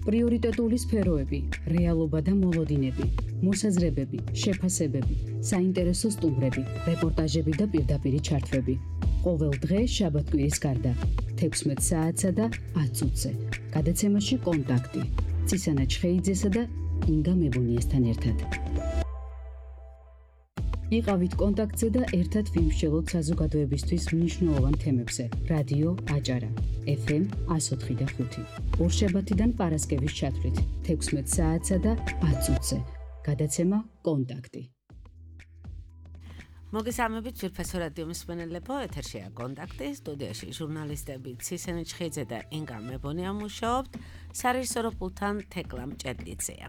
პრიორიტეტული სფეროები, რეალობა და მოლოდინები, მოსაზრებები, შეფასებები, საინტერესო სტუმრები, რეპორტაჟები და პირდაპირი ჩართვები. ყოველ დღე შაბათ-კვირის გარდა 16 საათსა და 10 წუთზე. გადაცემაში კონტაქტი. ცისანა ჩხეიძესა და ინგა მებუნიესთან ერთად. იყავით კონტაქტზე და ერთად ვიმსჯელოთ საზოგადოებისთვის მნიშვნელოვან თემებზე. რადიო აჭარა, FM 104.5. ორშაბათიდან პარასკევის ჩათვლით 16 საათსა და 10 წუთზე. გადაცემა კონტაქტი. მოგესალმებით ძვირფასო რადიო მსმენელებო, ეთერშია კონტაქტი, სტუდიაში ჟურნალისტები ცისანა ჩხეიძე და ინგა მებონია მუშაობთ, სარეჟისოროპულთან თეკლა მჭედლიძეა.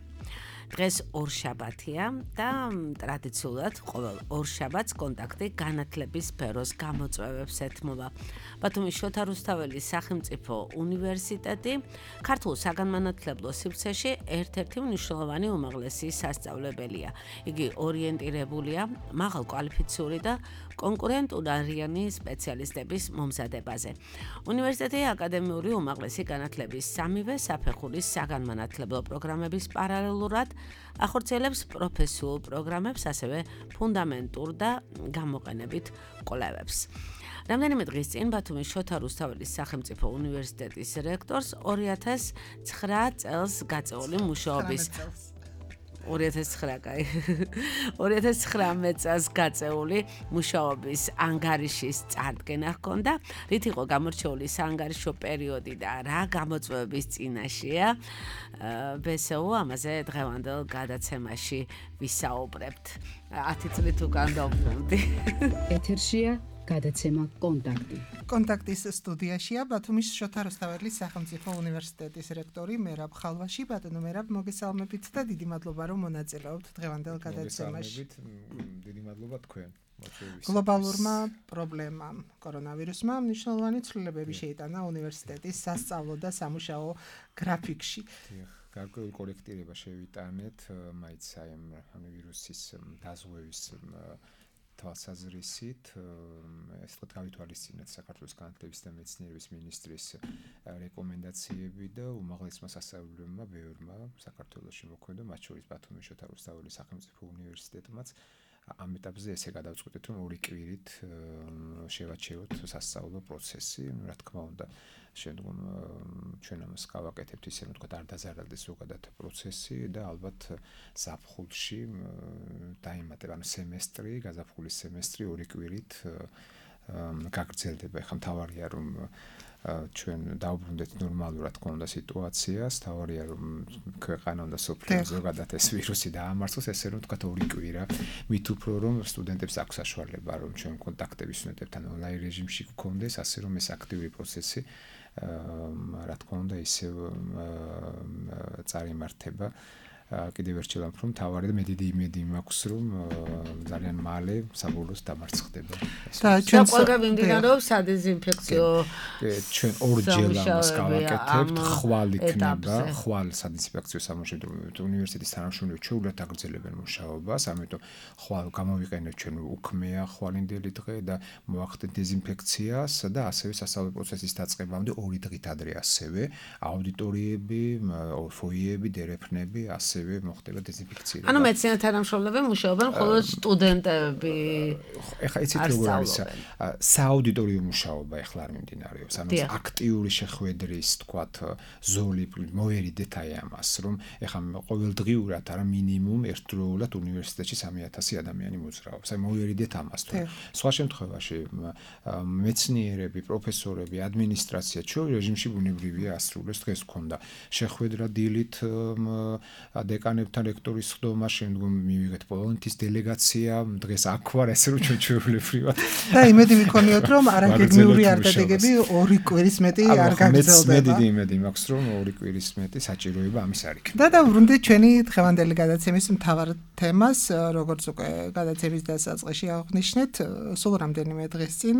დღეს ორშაბათია და ტრადიციულად ყოველ ორშაბათს კონტაქტი განათლების სფეროს გამოწვევებს ეთმობა. ბათუმის შოთა რუსთაველის სახელმწიფო უნივერსიტეტი ქართულ საგანმანათლებლო სივრცეში ერთ-ერთი მნიშვნელოვანი უმაღლესი სასწავლებელია. იგი ორიენტირებულია მაღალ კვალიფიციური და კონკურენტულარიანი სპეციალისტების მომზადებაზე. უნივერსიტეტი აკადემიური უმაღლესი განათლების სამივე საფეხურის საგანმანათლებლო პროგრამების პარალელურად ახორციელებს პროფესიულ პროგრამებს, ასევე ფუნდამენტურ და გამოყენებით კვლევებს. რამდენიმე დღის წინ ბათუმის შოთა რუსთაველის სახელმწიფო უნივერსიტეტის რექტორს 2009 წელს გაწეული მუშაობის 2019 წელს გაწეული მუშაობის ანგარიშის წარდგენა ჰქონდა, რით იყო გამორჩეული საანგარიშო პერიოდი და რა გამოწვევების წინაშეა. ბესეუ ამაზე დღევანდელ გადაცემაში ვისაუბრებთ. 10 წლით უკან დავბრუნდი. ეთერშია გადაცემა კონტაქტი. კონტაქტის სტუდიაშია ბათუმის შოთა რუსთაველის სახელმწიფო უნივერსიტეტის რექტორი მერაბ ხალვაში. ბატონო მერაბ, მოგესალმებით და დიდი მადლობა რომ მონაწილეობთ დღევანდელ გადაცემაში. დიდი მადლობა თქვენ. გლობალურმა პრობლემამ, კორონავირუსმა მნიშვნელოვანი ცვლილებები შეიტანა უნივერსიტეტის სასწავლო და სამუშაო გრაფიკში. გარკვეული კორექტირება შევიტანეთ, მაინც აი ამ ვირუსის დაზღვევის თვალსაზრისით, ეს თქვა გავითვალისწინეთ საქართველოს განათლების და მეცნიერების მინისტრის რეკომენდაციები და უმაღლესმა სასწავლებლებმა ბევრმა საქართველოში მოქმედო, მათ შორის ბათუმის შოთა რუსთაველის სახელმწიფო უნივერსიტეტმაც ამ ეტაპზე ესე გადავწყვიტეთ, რომ ორი კვირით შევაჩეროთ სასწავლო პროცესი, რა თქმა უნდა, შემდგომ ჩვენ ამას გავაკეთებთ ისე, რომ თქვა არ დაზარალდეს ზოგადად პროცესი და ალბათ ზაფხულში დაემატება, ანუ სემესტრი, გაზაფხულის სემესტრი ორი კვირით გაგრძელდება. ხა მთავარია რომ ჩვენ დავბრუნდეთ ნორმალურად ქონდა სიტუაციას, თავარია რომ ქვეყანა და სოფლიო ზოგადად ეს ვირუსი დაამარცხოს, ესე რომ თქვა ორი კვირა, მით უფრო რომ სტუდენტებს აქვს საშუალება რომ ჩვენ კონტაქტები სტუდენტებთან ონლაინ რეჟიმში გქონდეს, ასე რომ ეს აქტიური პროცესი რა თქმა უნდა ისევ წარიმართება. კიდევ ერთხელ ვამბობ, თავარი და მე დიდი იმედი მაქვს, რომ ძალიან მალე საბოლოოს დამარცხდება. და ჩვენ ყველგან მიმდინარეობს სადეზინფექციო. ჩვენ ორჯერ ამას გავაკეთებთ, ხვალ იქნება, ხვალ სადეზინფექციო სამუშაო უნივერსიტეტის თანამშრომლები ჩვეულებრივ აგრძელებენ მუშაობას, ამიტომ ხვალ გამოვიყენებთ ჩვენ უქმეა ხვალინდელი დღე და მოახდენთ დეზინფექციას და ასევე სასწავლო პროცესის დაწყებამდე 2 დღით ადრე ასევე აუდიტორიები, ფოიეები, დერეფნები მოხდება დეზინფექცია. ანუ მეცნიერთა თანამშრომლები მუშაობენ, ხოლო სტუდენტები ეხლა იცით როგორ არის სააუდიტორიო მუშაობა ეხლა არ მიმდინარეობს. ანუ აქტიური შეხვედრის, თქვათ, ზოლი მოერიდეთ აი ამას, რომ ეხლა ყოველდღიურად არა მინიმუმ ერთდროულად უნივერსიტეტში 3000 ადამიანი მოძრაობს. აი მოერიდეთ ამას თუ. სხვა შემთხვევაში მეცნიერები, პროფესორები, ადმინისტრაცია ჩვენ რეჟიმში ბუნებრივია ასრულებს. დღეს გქონდა შეხვედრა დილით დეკანებთან რექტორის ხდომა, შემდგომ მივიღეთ პოლონეთის დელეგაცია, დღეს აქ ვარ, ესე რომ ჩვეულებრივად. და იმედი მქონიოთ, რომ არაგეგმიური არ დადეგები 2 კვირის მეტი არ გაგრძელდება. მე დიდი იმედი მაქვს, რომ 2 კვირის მეტი საჭიროება ამის არ იქნება. და დავრუნდით ჩვენი დღევანდელი გადაცემის მთავარ თემას, როგორც უკვე გადაცემის დასაწყისში აღნიშნეთ, სულ რამდენიმე დღის წინ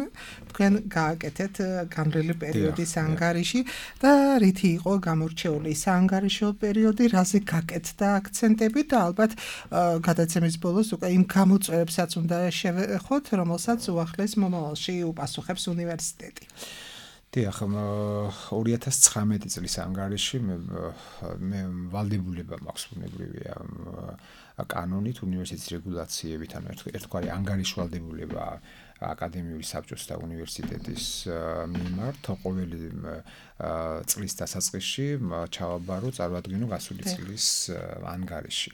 თქვენ გააკეთეთ განვლილი პერიოდის ანგარიში და რითი იყო გამორჩეული საანგარიშო პერიოდი, რაზე გაკეთდა აქცენტები და ალბათ გადაცემის ბოლოს უკვე იმ გამოწვევებსაც უნდა შევეხოთ, რომელსაც უახლეს მომავალში უპასუხებს უნივერსიტეტი. დიახ, 2019 წლის ანგარიში მე ვალდებულება მაქვს ბუნებრივია კანონით უნივერსიტეტის რეგულაციებით, ანუ ერთგვარი ანგარიშვალდებულება აკადემიური საბჭოს და უნივერსიტეტის მიმართ ყოველი წლის დასაწყისში ჩავაბარო წარვადგინო გასული წლის ანგარიში.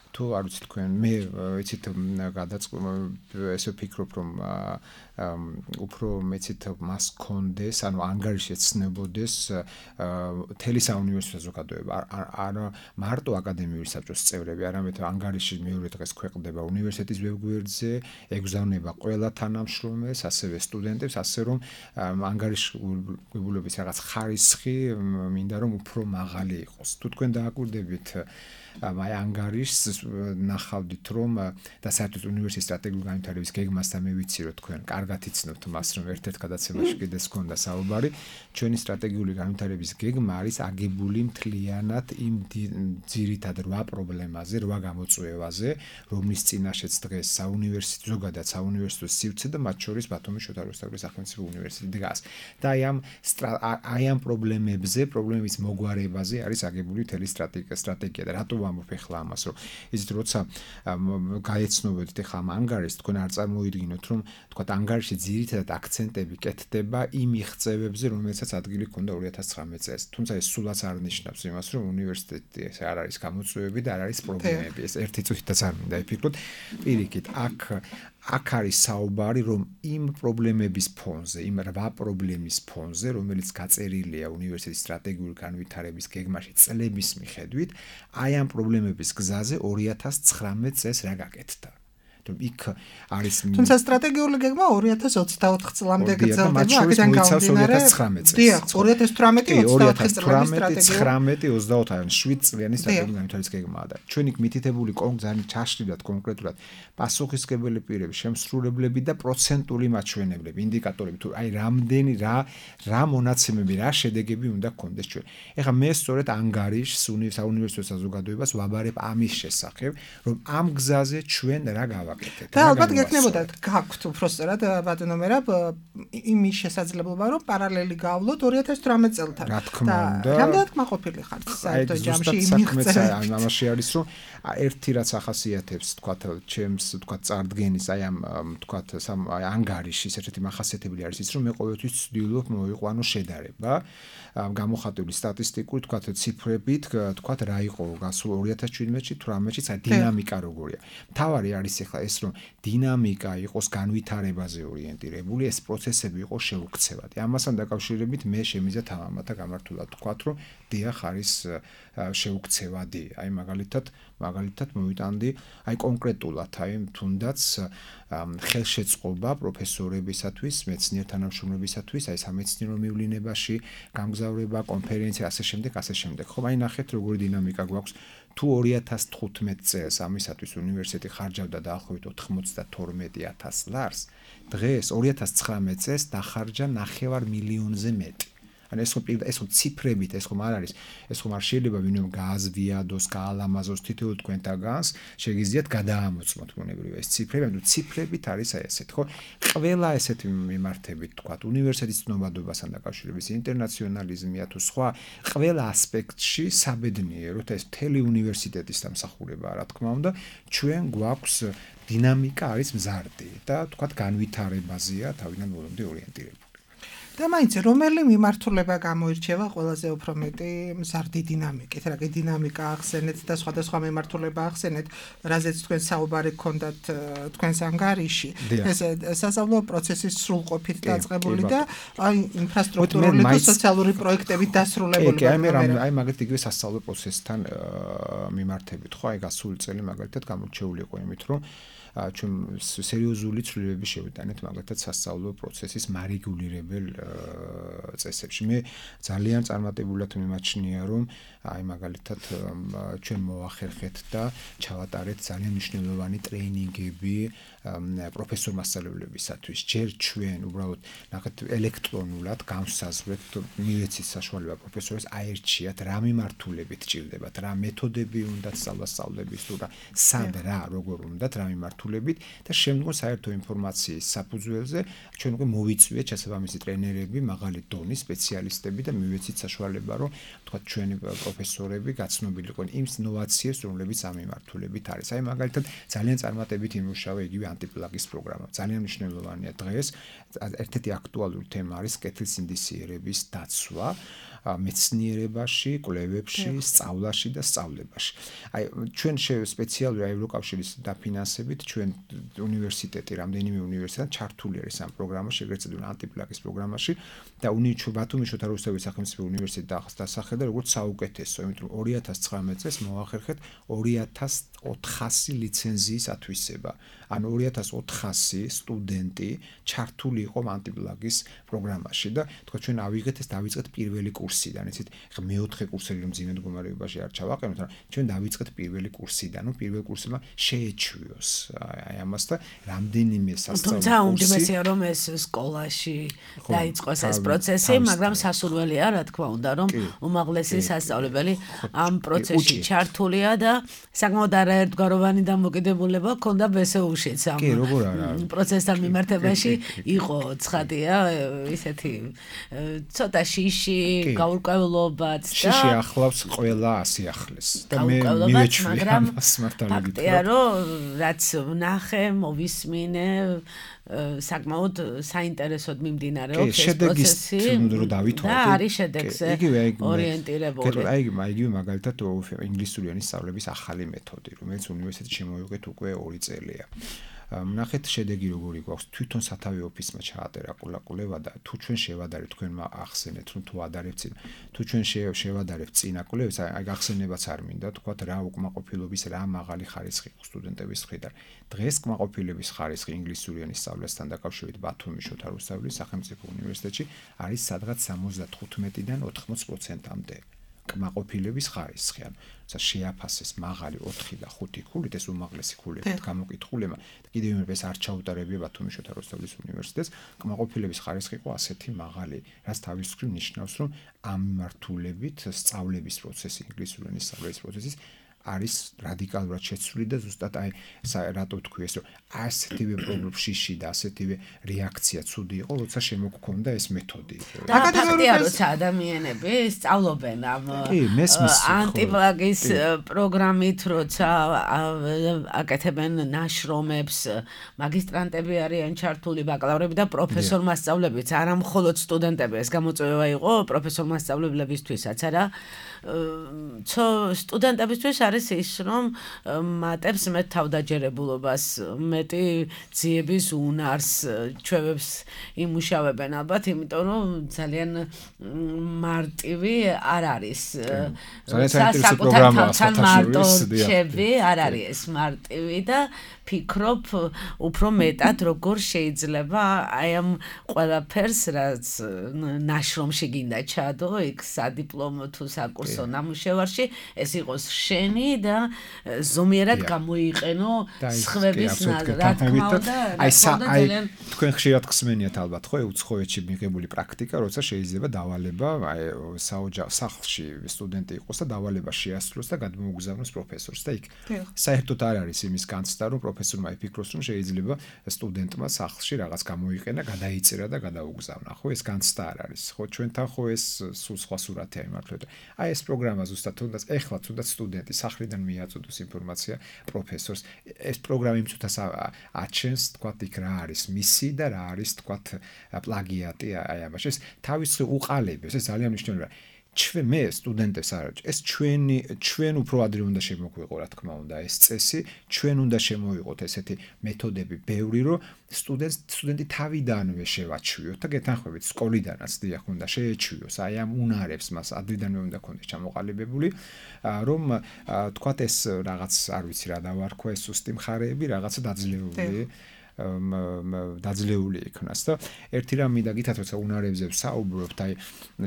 თუ არ ვიცი თქვენ მე იცით ესე ვფიქრობ რომ უფრო მეცით მას კონდეს ანუ ანგარიში ეცნებოდეს თელი საუნივერსიტეტო ზოგადოება არ მარტო აკადემიური საბჭოს წევრები არამედ ანგარიში მეორე დღეს ქვეყნდება უნივერსიტეტის ვებგვერდზე ეგზავნება ყველა თანამშრომელს ასევე სტუდენტებს ასე რომ ანგარიშის რაღაც ხარისხი მინდა რომ უფრო მაღალი იყოს თუ თქვენ დააკვირდებით აი ანგარიშს ნახავდით რომ და საერთოდ უნივერსიტეტის სტრატეგიული განვითარების გეგმასთან მე ვიცი რომ თქვენ კარგად იცნობთ მას რომ ერთ-ერთ გადაცემაში კიდეც ჰქონდა საუბარი ჩვენი სტრატეგიული განვითარების გეგმა არის აგებული მთლიანად იმ ძირითად 8 პრობლემაზე 8 გამოწვევაზე რომლის წინაშეც დღეს საუნივერსიტეტო ზოგადად საუნივერსიტეტო სივრცე და მათ შორის ბათუმის შოთა რუსთაველის სახელმწიფო უნივერსიტეტი დგას და აი ამ პრობლემების მოგვარებაზე არის აგებული მთელი სტრატეგია და რატო ვამბობ ახლა ამას რომ იცით როცა გაეცნობოდით ახლა ამ ანგარიშს თქვენ არ წარმოიდგინოთ რომ თქვა ანგარიში ძირითადად აქცენტები კეთდება იმ მიღწევებზე რომელსაც ადგილი ჰქონდა 2019 წელს თუმცა ეს სულაც არ ნიშნავს იმას რომ უნივერსიტეტი ეს არ არის გამოწვევები და არ არის პრობლემები ეს ერთი წუთითაც არ მინდა იფიქროთ პირიქით აქ არის საუბარი რომ იმ პრობლემების ფონზე იმ 8 პრობლემის ფონზე რომელიც გაწერილია უნივერსიტეტის სტრატეგიული განვითარების გეგმაში წლების მიხედვით აი ამ პრობლემების გზაზე 2019 წელს რა გაკეთდა იქ არის თუმცა სტრატეგიული გეგმა 2024 წლამდე გრძელდება აქედან გამომდინარე 2019 დიახ 2018 წლების სტრატეგია 19-27 წლიანი სტრატეგიული განვითარების გეგმაა და ჩვენი მითითებული ძალიან ჩაშლილად კონკრეტულად პასუხისმგებელი პირები შემსრულებლები და პროცენტული მაჩვენებლები ინდიკატორები თუ აი რამდენი რა მონაცემები რა შედეგები უნდა გქონდეს ჩვენ ეხლა მე სწორედ ანგარიშს საუნივერსიტეტო საზოგადოებას ვაბარებ ამის შესახებ რომ ამ გზაზე ჩვენ რა და ალბათ გექნებოდა გაქვთ უბრალოდ ბატონო მერაბ იმის შესაძლებლობა რომ პარალელი გავვლოთ 2018 წელთან რა თქმა უნდა რამდენად კმაყოფილი ხართ საერთოდ ჯამში იმიღწევ ამაში არის რომ ერთი რაც ახასიათებს თქვათ ჩემს თქვათ წარდგენის აი ამ თქვათ ანგარიშის ერთ-ერთი მახასიათებელი არის ის რომ მე ყოველთვის ვცდილობ მოვიყვანო შედარება გამოხატული სტატისტიკური თქვათ ციფრებით თქვათ რა იყო გასულ 2017-ში 18-ში საერთოდ დინამიკა როგორია თავარი არის ახლა ეს რომ დინამიკა იყოს განვითარებაზე ორიენტირებული ეს პროცესები იყოს შეუქცევადი ამასთან დაკავშირებით მე შემიძლია თამამათა გამართულად თქვათ რომ დიახ არის შეუქცევადი აი მაგალითად მოვიტანდი აი კონკრეტულად აი თუნდაც ხელშეწყობა პროფესორებისათვის მეცნიერ თანამშრომლებისათვის აი სამეცნიერო მივლინებაში გამგზავრება კონფერენცია ასე შემდეგ ხომ აი ნახეთ როგორი დინამიკა გვაქვს თუ 2015 წელს ამისათვის უნივერსიტეტი ხარჯავდა დაახლოებით 92,000 ლარს დღეს 2019 წელს დახარჯა 9 მილიონზე მეტი ან ეს ხო ციფრებით ეს ხომ არ არის ეს ხომ არ შეიძლება ვინმე გააზვიადოს გაალამაზოს თითოეულ თქვენთაგანს შეგიძლიათ გადაამოწმოთ ბუნებრივია ეს ციფრები ანუ ციფრებით არის აი ესეთ ხო ყველა ესეთი მიმართებით თქვათ უნივერსიტეტის ცნობადობასთან დაკავშირებით ინტერნაციონალიზმია თუ სხვა ყველა ასპექტში საბედნიეროდ ეს მთელი უნივერსიტეტის დამსახურებაა რა თქმა უნდა ჩვენ გვაქვს დინამიკა არის მზარდი და თქვათ განვითარებაზეა თავიდან ბოლომდე ორიენტირებული და მაინც რომელი მიმართულება გამოირჩევა ყველაზე უფრო მეტი მზარდი დინამიკით რა კი დინამიკა ახსენეთ და სხვადასხვა მიმართულება ახსენეთ რაზეც თქვენ საუბარი გქონდათ თქვენს ანგარიში ეს სასწავლო პროცესის სრულყოფით დაწყებული და აი ინფრასტრუქტურული და სოციალური პროექტებით დასრულებული აი მაგალითად იგივე სასწავლო პროცესთან მიმართებით ხო აი გასული წელი მაგალითად გამორჩეული იყო იმით რომ ჩვენ სერიოზული ცვლილებები შევიტანეთ მაგალითად სასწავლო პროცესის მარეგულირებელ წესებში. მე ძალიან წარმატებულად მიმაჩნია რომ აი მაგალითად ჩვენ მოახერხეთ და ჩავატარეთ ძალიან მნიშვნელოვანი ტრეინინგები პროფესორ მასწავლებლებისათვის. ჯერ ჩვენ უბრალოდ ნახეთ ელექტრონულად განსაზღვრეთ მივეცით საშუალება პროფესორს აერჩიათ რა მიმართულებით ჭირდებათ, რა მეთოდები უნდათ სწავლასწავლების თუ რა სად რა როგორ უნდათ რა მიმართულებით მიმართულებით და შემდგომ საერთო ინფორმაციის საფუძველზე ჩვენ უკვე მოვიწვიეთ შესაბამისი ტრენერები, მაღალი დონის სპეციალისტები და მივეცით საშუალება, რომ თქვა ჩვენი პროფესორები გაცნობილიყო იმ ინოვაციებს, რომლებიც ამ მიმართულებით არის. აი მაგალითად ძალიან წარმატებით იმუშავა იგივე ანტიპლაგის პროგრამა. ძალიან მნიშვნელოვანია დღეს ერთ-ერთი აქტუალური თემა არის კეთილსინდისიერების დაცვა მეცნიერებაში, კვლევებში, სწავლაში და სწავლებაში. აი ჩვენ სპეციალური ევროკავშირის დაფინანსებით ჩვენ უნივერსიტეტი, რამდენიმე უნივერსიტეტი ჩართული არის ამ პროგრამაში, ეგრეთ წოდებული ანტიპლაგის პროგრამაში და ბათუმის შოთა რუსთავის სახელმწიფო უნივერსიტეტი დასახელდა როგორც საუკეთესო, იმიტომ რომ 2019 წელს მოახერხეთ 2400 ლიცენზიის ათვისება. ან 2400 სტუდენტი ჩართული იყო ანტიპლაგის პროგრამაში და თქვა ჩვენ დავიწყეთ პირველი კურსიდან, იცით, ხა მეოთხე კურსელი რომ ძიმე მდგომარეობაში არ ჩავაყენოთ, მაგრამ ჩვენ დავიწყეთ პირველი კურსიდან, ნუ პირველ კურსმა შეეჩვიოს აი ამას და რამდენიმე სასწავლო კურსი. თუმცა უმჯობესია რომ ეს სკოლაში დაიწყოს ეს პროცესი, მაგრამ სასურველია, რა თქმა უნდა, რომ უმაღლესი სასწავლებელი ამ პროცესში ჩართულია და საკმაოდ არაერთგვაროვანი დამოკიდებულება ჰქონდა ბესეულშიც ამ პროცესთან მიმართებაში იყო ცხადია ისეთი ცოტა შიში გაურკვევლობაც და შიში ახლავს ყველა ასიახლეს და მე მივეჩვი ამას მართალია ფაქტია რომ რაც ვნახე მოვისმინე საკმაოდ საინტერესოდ მიმდინარეობს ეს პროცესი რომ დავითვალოთ და არის შედეგზე ორიენტირებული იგივე მაგალითად ინგლისურიანი სწავლების ახალი მეთოდი რომელიც უნივერსიტეტში შემოვიღეთ უკვე 2 წელია ნახეთ შედეგი როგორი გვაქვს თვითონ სათავე ოფისმა ჩაატერა კულაკულება და თუ ჩვენ შევადარებთ თქვენმა ახსენეთ თუ ადარებთ თუ ჩვენ შევადარებთ წინა კულებს აი გახსენებაც არ მინდა თქვათ რა უკმაყოფილობის რა მაღალი ხარისხი სტუდენტების მხრიდან დღეს კმაყოფილების ხარისხი ინგლისურიანი სწავლასთან დაკავშირებით ბათუმის შოთა რუსთავის სახელმწიფო უნივერსიტეტში არის სადღაც 75-დან 80%-მდე კმაყოფილების ხარისხი ანუ შეაფასეს მაღალი 4 და 5 ქულით ეს უმაღლესი ქულებით გამოკითხულებმა და კიდევ იმერպես არ ჩაუტარებია ბათუმის შოთა რუსთავის უნივერსიტეტს კმაყოფილების ხარისხი იყო ასეთი მაღალი რაც თავის მხრივ ნიშნავს რომ ამ მიმართულებით სწავლების პროცესი ინგლისურენის სწავლების პროცესის არის რადიკალურად შეცვლილი და ზუსტად აი რატო თქვი ეს რომ ასეთივე პრობლემში და ასეთივე რეაქცია ცუდი იყო როცა შემოგქონდა ეს მეთოდი და ფაქტია როცა ადამიანები სწავლობენ ამ ანტიპლაგის პროგრამით როცა აკეთებენ ნაშრომებს მაგისტრანტები არიან ჩართული ბაკალავრები და პროფესორ მასწავლებლებიც არა მხოლოდ სტუდენტები ეს გამოწვევა იყო პროფესორ მასწავლებლებისთვისაც არა სტუდენტებისთვის არის ის რომ მატებს მე თავდაჯერებულობას მეტი ძიების უნარს ჩვევებს იმუშავებენ ალბათ იმიტომ რომ ძალიან მარტივი არ არის საკუთარ მარტო ჩები არ არის ეს მარტივი და ფიქრობ უფრო მეტად როგორ შეიძლება აი ამ ყველაფერს რაც ნაშრომში გინდა ჩადო იქ სადიპლომო თუ საკურსო ნამუშევარში ეს იყოს შენი და ზომიერად გამოიყენო სხვების რა თქმა უნდა აი თქვენ ხშირად ხსმენიათ ალბათ ხო უცხოეთში მიღებული პრაქტიკა როცა შეიძლება დავალება აი სახლში სტუდენტი იყოს და დავალება შეასრულოს და გადმოუგზავნოს პროფესორს და იქ საერთოდ არ არის იმის განცდა რომ პროფესორმა იფიქროს რომ შეიძლება სტუდენტმა სახლში რაღაც გამოიყენა გადაიწერა და გადაუგზავნა ხო ეს განცდა არ არის ხო ჩვენთან ხო ეს სულ სხვა სურათია იმართლეთ აი ეს პროგრამა ზუსტად თუნდაც ეხლა თუნდაც სტუდენტი სახლიდან მიაწოდოს ინფორმაცია პროფესორს ეს პროგრამა იმწუთას აჩენს თქვათ იქ რა არის მისი და რა არის თქვათ პლაგიატი აი ამაში ეს თავისი უყალიბებს ეს ძალიან მნიშვნელოვანია მე სტუდენტებს არ ეს ჩვენ უფრო ადრე უნდა შემოგვიყო რა თქმა უნდა ეს წესი ჩვენ უნდა შემოვიყოთ ესეთი მეთოდები ბევრი რომ სტუდენტი თავიდანვე შევაჩვიოთ და გეთანხმებით სკოლიდანაც დიახ უნდა შეეჩვიოს აი ამ უნარებს მას ადრიდანვე უნდა ქონდეს ჩამოყალიბებული რომ თქვათ ეს რაღაც არ ვიცი რა დავარქვა ეს სუსტი მხარეები რაღაცა დაძლეული იქნას და ერთი რამ მინდა გითხრათ როცა უნარებზე ვსაუბრობთ აი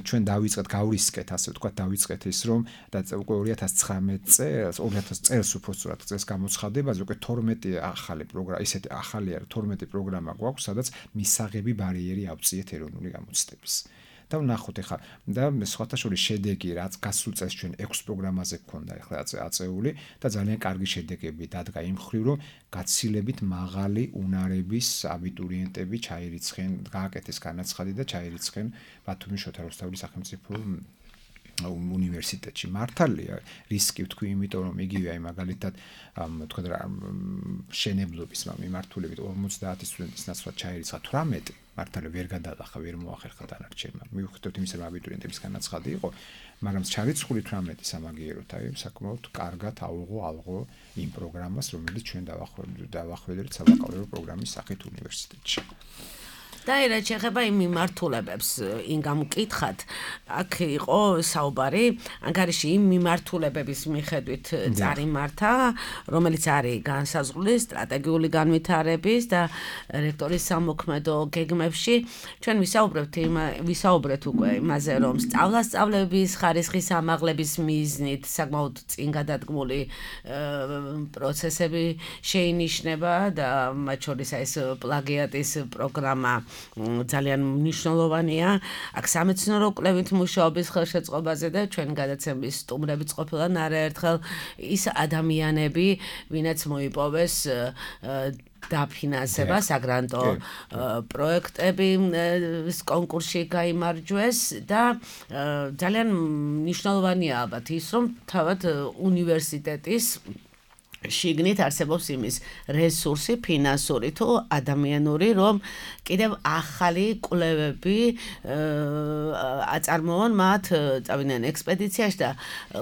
ჩვენ დავიწყეთ გავრისკეთ ასე ვთქვათ დავიწყეთ ის რომ და უკვე 2019 წელს უბრალოდ წელს გამოცხადებაზე უკვე 12 ახალი პროგრამა ისეთი ახალი არა 12 პროგრამა გვაქვს სადაც მისაღები ბარიერი ავწიეთ ეროვნული გამოცდების და ვნახოთ ეხლა და სხვათა შორის შედეგი რაც გასულ წელს ჩვენ 6 პროგრამაზე გქონდა ეხლა აწეული და ძალიან კარგი შედეგები დადგა იმ მხრივ რომ გაცილებით მაღალი უნარების აბიტურიენტები ჩაირიცხენ გააკეთეს განაცხადი და ჩაირიცხენ ბათუმის შოთა რუსთაველის სახელმწიფო უნივერსიტეტში მართალია რისკი ვთქვი იმიტომ რომ იგივე აი მაგალითად თქვა რა შენებლობის მიმართულებით 50 სტუდენტის ნაცვლად ჩაირიცხა 18 მართალია ვერ გადაახა ვერ მოახერხა დანარჩენმა მივხვდით იმის რომ აბიტურიენტების განაცხადი იყო მაგრამ ჩარიცხული 18 სამაგიეროდ აი საკმაოდ კარგად ალღო იმ პროგრამას რომელიც ჩვენ დავახველეთ საბაკალავრო პროგრამის სახით უნივერსიტეტში და რაც შეეხება იმ მიმართულებებს, ინგამ მკითხათ, აქ იყო საუბარი, ანგარიში იმ მიმართულებების მიხედვით წარიმართა, რომელიც არის განსაზღვრული სტრატეგიული განვითარების და რექტორის სამოქმედო გეგმებში. ჩვენ ვისაუბრეთ უკვე იმაზე, რომ სწავლების ხარისხის ამაღლების მიზნით საკმაოდ წინ გადადგმული პროცესები შეინიშნება და მათ შორის ეს პლაგიატის პროგრამა ძალიან მნიშვნელოვანია. აქ სამეცნიერო კვლევით მუშაობის ხელშეწყობაზე და ჩვენ გადაცემის სტუმრებიც ყოფილან არაერთხელ ის ადამიანები, ვინაც მოიპოვეს დაფინანსება საგრანტო პროექტების კონკურსში გაიმარჯვეს და ძალიან მნიშვნელოვანია ალბათ ის, რომ თავად უნივერსიტეტის შიგნით არსებობს იმის რესურსი, ფინანსური თუ ადამიანური, რომ კიდევ ახალი კვლევები აწარმოონ მათ, წავიდნენ ექსპედიციაში და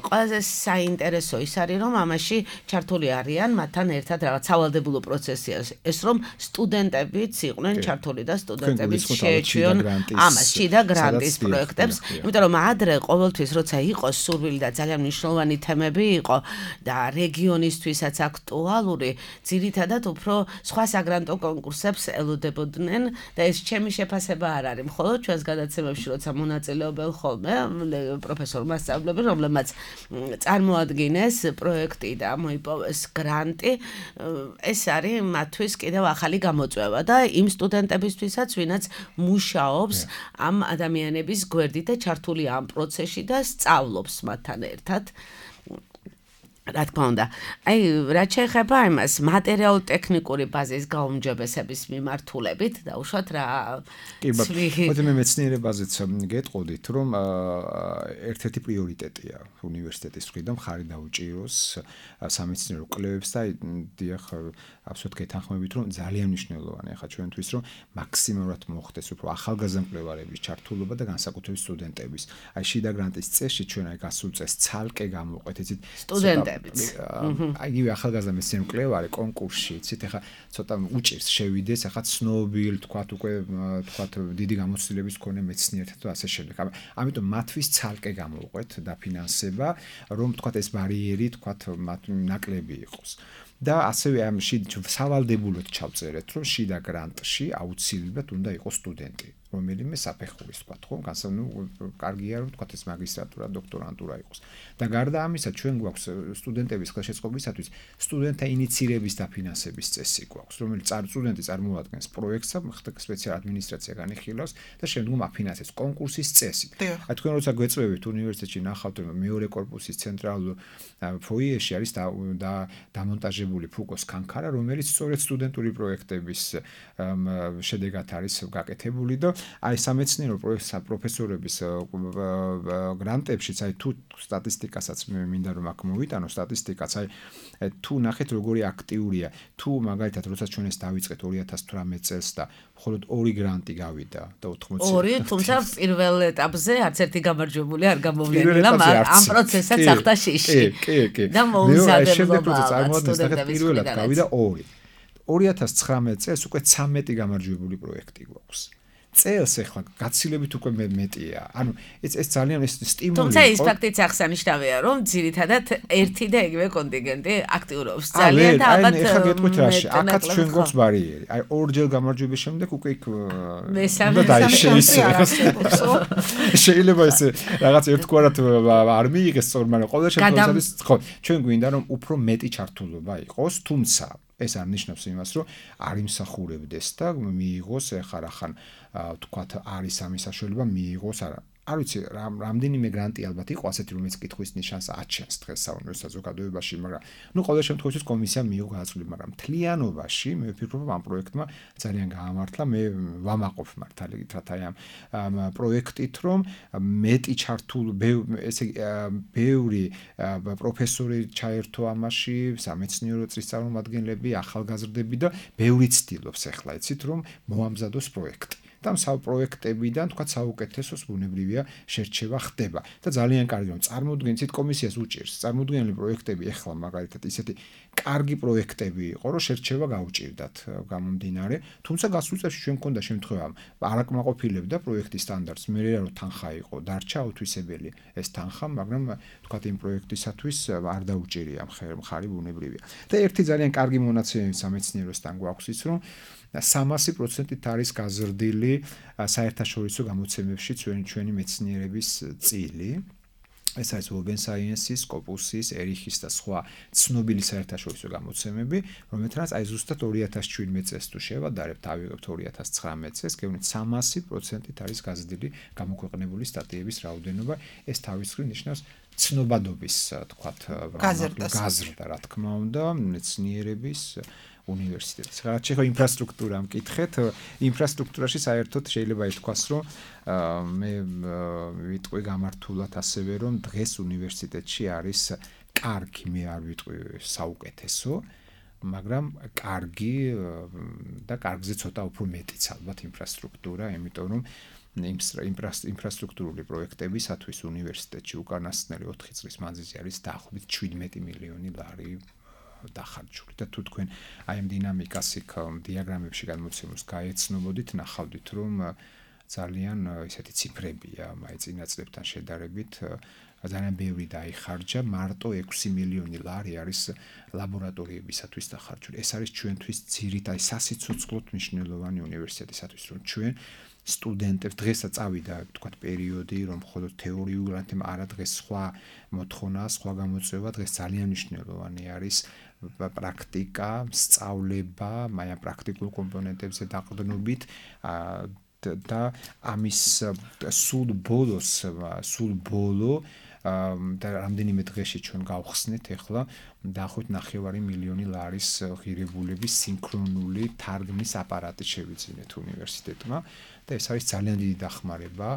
ყველაზე საინტერესო ის არის, რომ ამაში ჩართული არიან მათთან ერთად რაღაც სავალდებულო პროცესია. ეს რომ სტუდენტებიც იყვნენ ჩართული და სტუდენტებიც შეეჩვიონ ამას, შიდა გრანტის პროექტებს, იმიტომ რომ ადრე ყოველთვის როცა იყო სურვილი და ძალიან მნიშვნელოვანი თემები იყო და რეგიონისთვის აქტუალური, ძირითადად უფრო სხვა საგრანტო კონკურსებს ელოდებოდნენ და ეს ჩემი შეფასება არ არის. მხოლოდ ჩვენს გადაცემებში როცა მონაწილეობენ ხოლმე პროფესორ მასწავლებელი, რომლებმაც წარმოადგინეს პროექტი და მოიპოვეს გრანტი, ეს არის მათთვის კიდევ ახალი გამოწვევა და იმ სტუდენტებისთვისაც, ვინაც მუშაობს ამ ადამიანების გვერდით და ჩართულია ამ პროცესში და სწავლობს მათთან ერთად. რა თქმა უნდა, აი რაც შეეხება იმას მატერიალურ-ტექნიკური ბაზის გაუმჯობესების მიმართულებით და უშუალოდ რა მოდი მე მეცნიერებაზეც გეტყოდით, რომ ერთ-ერთი პრიორიტეტია უნივერსიტეტის მხრიდან მხარი დაუჭიროს სამეცნიერო კვლევებს და დიახ აბსოლუტურად გეთანხმებით, რომ ძალიან მნიშვნელოვანია ხა ჩვენთვის, რომ მაქსიმალურად მოხდეს უფრო ახალგაზრდა მკვლევარების ჩართულობა და განსაკუთრებით სტუდენტების. აი შიდა გრანტის წესში ჩვენ აი გასულ წელს ცალკე გამოვყვეთ იცით იგივე ახალგაზრდა მეცნიერ მკვლევარი კონკურსში, იცით, ახლა ცოტა უჭირს შევიდეს, ახლა ცნობილ, თქვათ უკვე დიდი გამოცდილების მქონე მეცნიერთა და ასე შემდეგ. ამიტომ მათთვის ცალკე გამოვყვეთ დაფინანსება, რომ თქვათ ეს ბარიერი, თქვათ მათ ნაკლები იყოს. და ასევე ამ სავალდებულოდ ჩავწერეთ, რომ შიდა გრანტში აუცილებლად უნდა იყოს სტუდენტი, რომელიმე საფეხურის, თქვათ, ხო, კარგია რომ თქვათ ეს მაგისტრატურა, დოქტორანტურა იყოს. და გარდა ამისა, ჩვენ გვაქვს სტუდენტების ხელშეწყობისათვის სტუდენტთა ინიცირების დაფინანსების წესი გვაქვს, რომელიც სტუდენტი წარმოადგენს პროექტს, სპეციალ ადმინისტრაცია განიხილავს და შემდგომ აფინანსებს კონკურსის წესით. აი თქვენ როცა გვეწვევით უნივერსიტეტში ნახავთ, რომ მეორე კორპუსის ცენტრალურ ფოიეში არის დამონტაჟებული ფუკოს კანქარა, რომელიც სწორედ სტუდენტური პროექტების შედეგად არის გაკეთებული და აი სამეცნიერო პროფესორების გრანტებშიც აი თუ სტატისტიკასაც მინდა რომ აქ მოვიტანო სტატისტიკაც აი თუ ნახეთ როგორი აქტიურია თუ მაგალითად როცა ჩვენ ეს დავიწყეთ 2018 წელს და მხოლოდ 2 გრანტი გავიდა და 80 2 თუმცა პირველ ეტაპზე არც ერთი გამარჯვებული არ გამოვლენილა ამ პროცესსაც ახთა შიში კი და მოუსადებობა შემდეგ როცა წარმოადგენს პირველად გავიდა 2 2019 წელს უკვე 13 გამარჯვებული პროექტი გვაქვს წელს ახლა გაცილებით უკვე მეტია. ანუ ეს ძალიან ეს სტიმული. თუმცა ის ფაქტიც აღსანიშნავია, რომ ძირითადად ერთი და იგივე კონტინგენტი აქტიურობს. ძალიან და ალბათ ახლა გეტყვით რაში. აქაც ჩვენ გვაქვს ბარიერი. აი ორჯერ გამარჯვების შემდეგ უკვე იქ მესამე შეიძლება ეს რაღაც ერთგვარად არ მიიღეს სწორ, მაგრამ ყოველ შემთხვევაში ხო ჩვენ გვინდა რომ უფრო მეტი ჩართულობა იყოს, თუმცა ეს არ ნიშნავს იმას, რომ არ იმსახურებდეს და მიიღოს ეხლა რახან თქვათ არის ამის საშუალება მიიღოს არა. არ ვიცი, რამდენიმე გრანტი ალბათ იყო ასეთი, რომელიც კითხვის ნიშანს აჩენს დღეს საუნივერსიტეტო საზოგადოებაში, მაგრამ ყოველ შემთხვევაში კომისია მიიღო გადაწყვეტილება, მაგრამ მთლიანობაში მე ვფიქრობ, ამ პროექტმა ძალიან გაამართლა. მე ვამაყობ მართალით რათა ამ პროექტით, რომ მეტი ჩართულ ესე ბევრი პროფესორი ჩაერთო ამაში, სამეცნიერო წრის წარმომადგენლები, ახალგაზრდები და ბევრი ცდილობს ახლა იცით, რომ მოამზადოს პროექტი. და პროექტებიდან თქვა საუკეთესოს ბუნებრივია შერჩევა ხდება და ძალიან კარგი რომ წარმოუდგენთ კომისიას უჭირს წარმოუდგენელი პროექტები ახლა მაგალითად ისეთი კარგი პროექტები იყო რომ შერჩევა გაუჭირდათ გამომდინარე თუმცა გასულ წელს ჩვენ მქონდა შემთხვევა არაკმაყოფილებდა პროექტის სტანდარტს მე რა რომ თანხა იყო დარჩა აუთვისებელი ეს თანხა მაგრამ თქვა იმ პროექტისათვის არ დაუჭირია მხარი ბუნებრივია და ერთი ძალიან კარგი მონაცემი სამეცნიეროსთან გვაქვს ის რომ 300%-ით არის გაზრდილი საერთაშორისო გამოცემებში ჩვენი მეცნიერების წილი. ეს არის Open Science-ის, Scopus-ის, Erichs და სხვა ცნობილი საერთაშორისო გამოცემები, რომელთაც აი ზუსტად 2017 წელს თუ შევადარებთ, ავიღებთ 2019 წელს, გეუბნით 300%-ით არის გაზრდილი გამოქვეყნებული სტატიების რაოდენობა. ეს თავის მხრივ ნიშნავს ცნობადობის, თქვათ, გაზრდა, რა თქმა უნდა, მეცნიერების უნივერსიტეტის. რაც შეიძლება ინფრასტრუქტურა მკითხეთ, ინფრასტრუქტურაში საერთოდ შეიძლება ითქვას, რომ მე ვიტყვი გამართულად ასევე რომ დღეს უნივერსიტეტში არის კარგი, მე არ ვიტყვი საუკეთესო, მაგრამ კარგი და კარგზე ცოტა უფრო მეტიც ალბათ ინფრასტრუქტურა, იმიტომ რომ ინფრასტრუქტურული პროექტებისათვის უნივერსიტეტში უკანასკნელი 4 წლის მანძილზე არის დაახლოებით 17 მილიონი ლარი დახარჯული და თუ თქვენ აი ამ დინამიკას იქ დიაგრამებში გადმოცემულს გაეცნობოდით, ნახავდით რომ ძალიან ისეთი ციფრებია, აი წინა წლებთან შედარებით ძალიან ბევრი დაიხარჯა, მარტო 6 მილიონი ლარი არის ლაბორატორიებისათვის დახარჯული. ეს არის ჩვენთვის ძირითადი სასიცოცხლოდ მნიშვნელოვანი უნივერსიტეტისათვის, რომ ჩვენ სტუდენტებს დღესაც წავიდა თქვა პერიოდი რომ მხოლოდ თეორიულად არა დღეს სხვა მოთხოვნა სხვა გამოწვევა დღეს ძალიან მნიშვნელოვანი არის პრაქტიკა სწავლება მაია პრაქტიკულ კომპონენტებზე დაყრდნობით და ამის სულ ბოლო და რამდენიმე დღეში ჩვენ გავხსნით ახლა დაახლოებით 9 მილიონი ლარის ღირებულების სინქრონული თარგმნის აპარატი შევიძინეთ უნივერსიტეტმა და ეს არის ძალიან დიდი დახმარება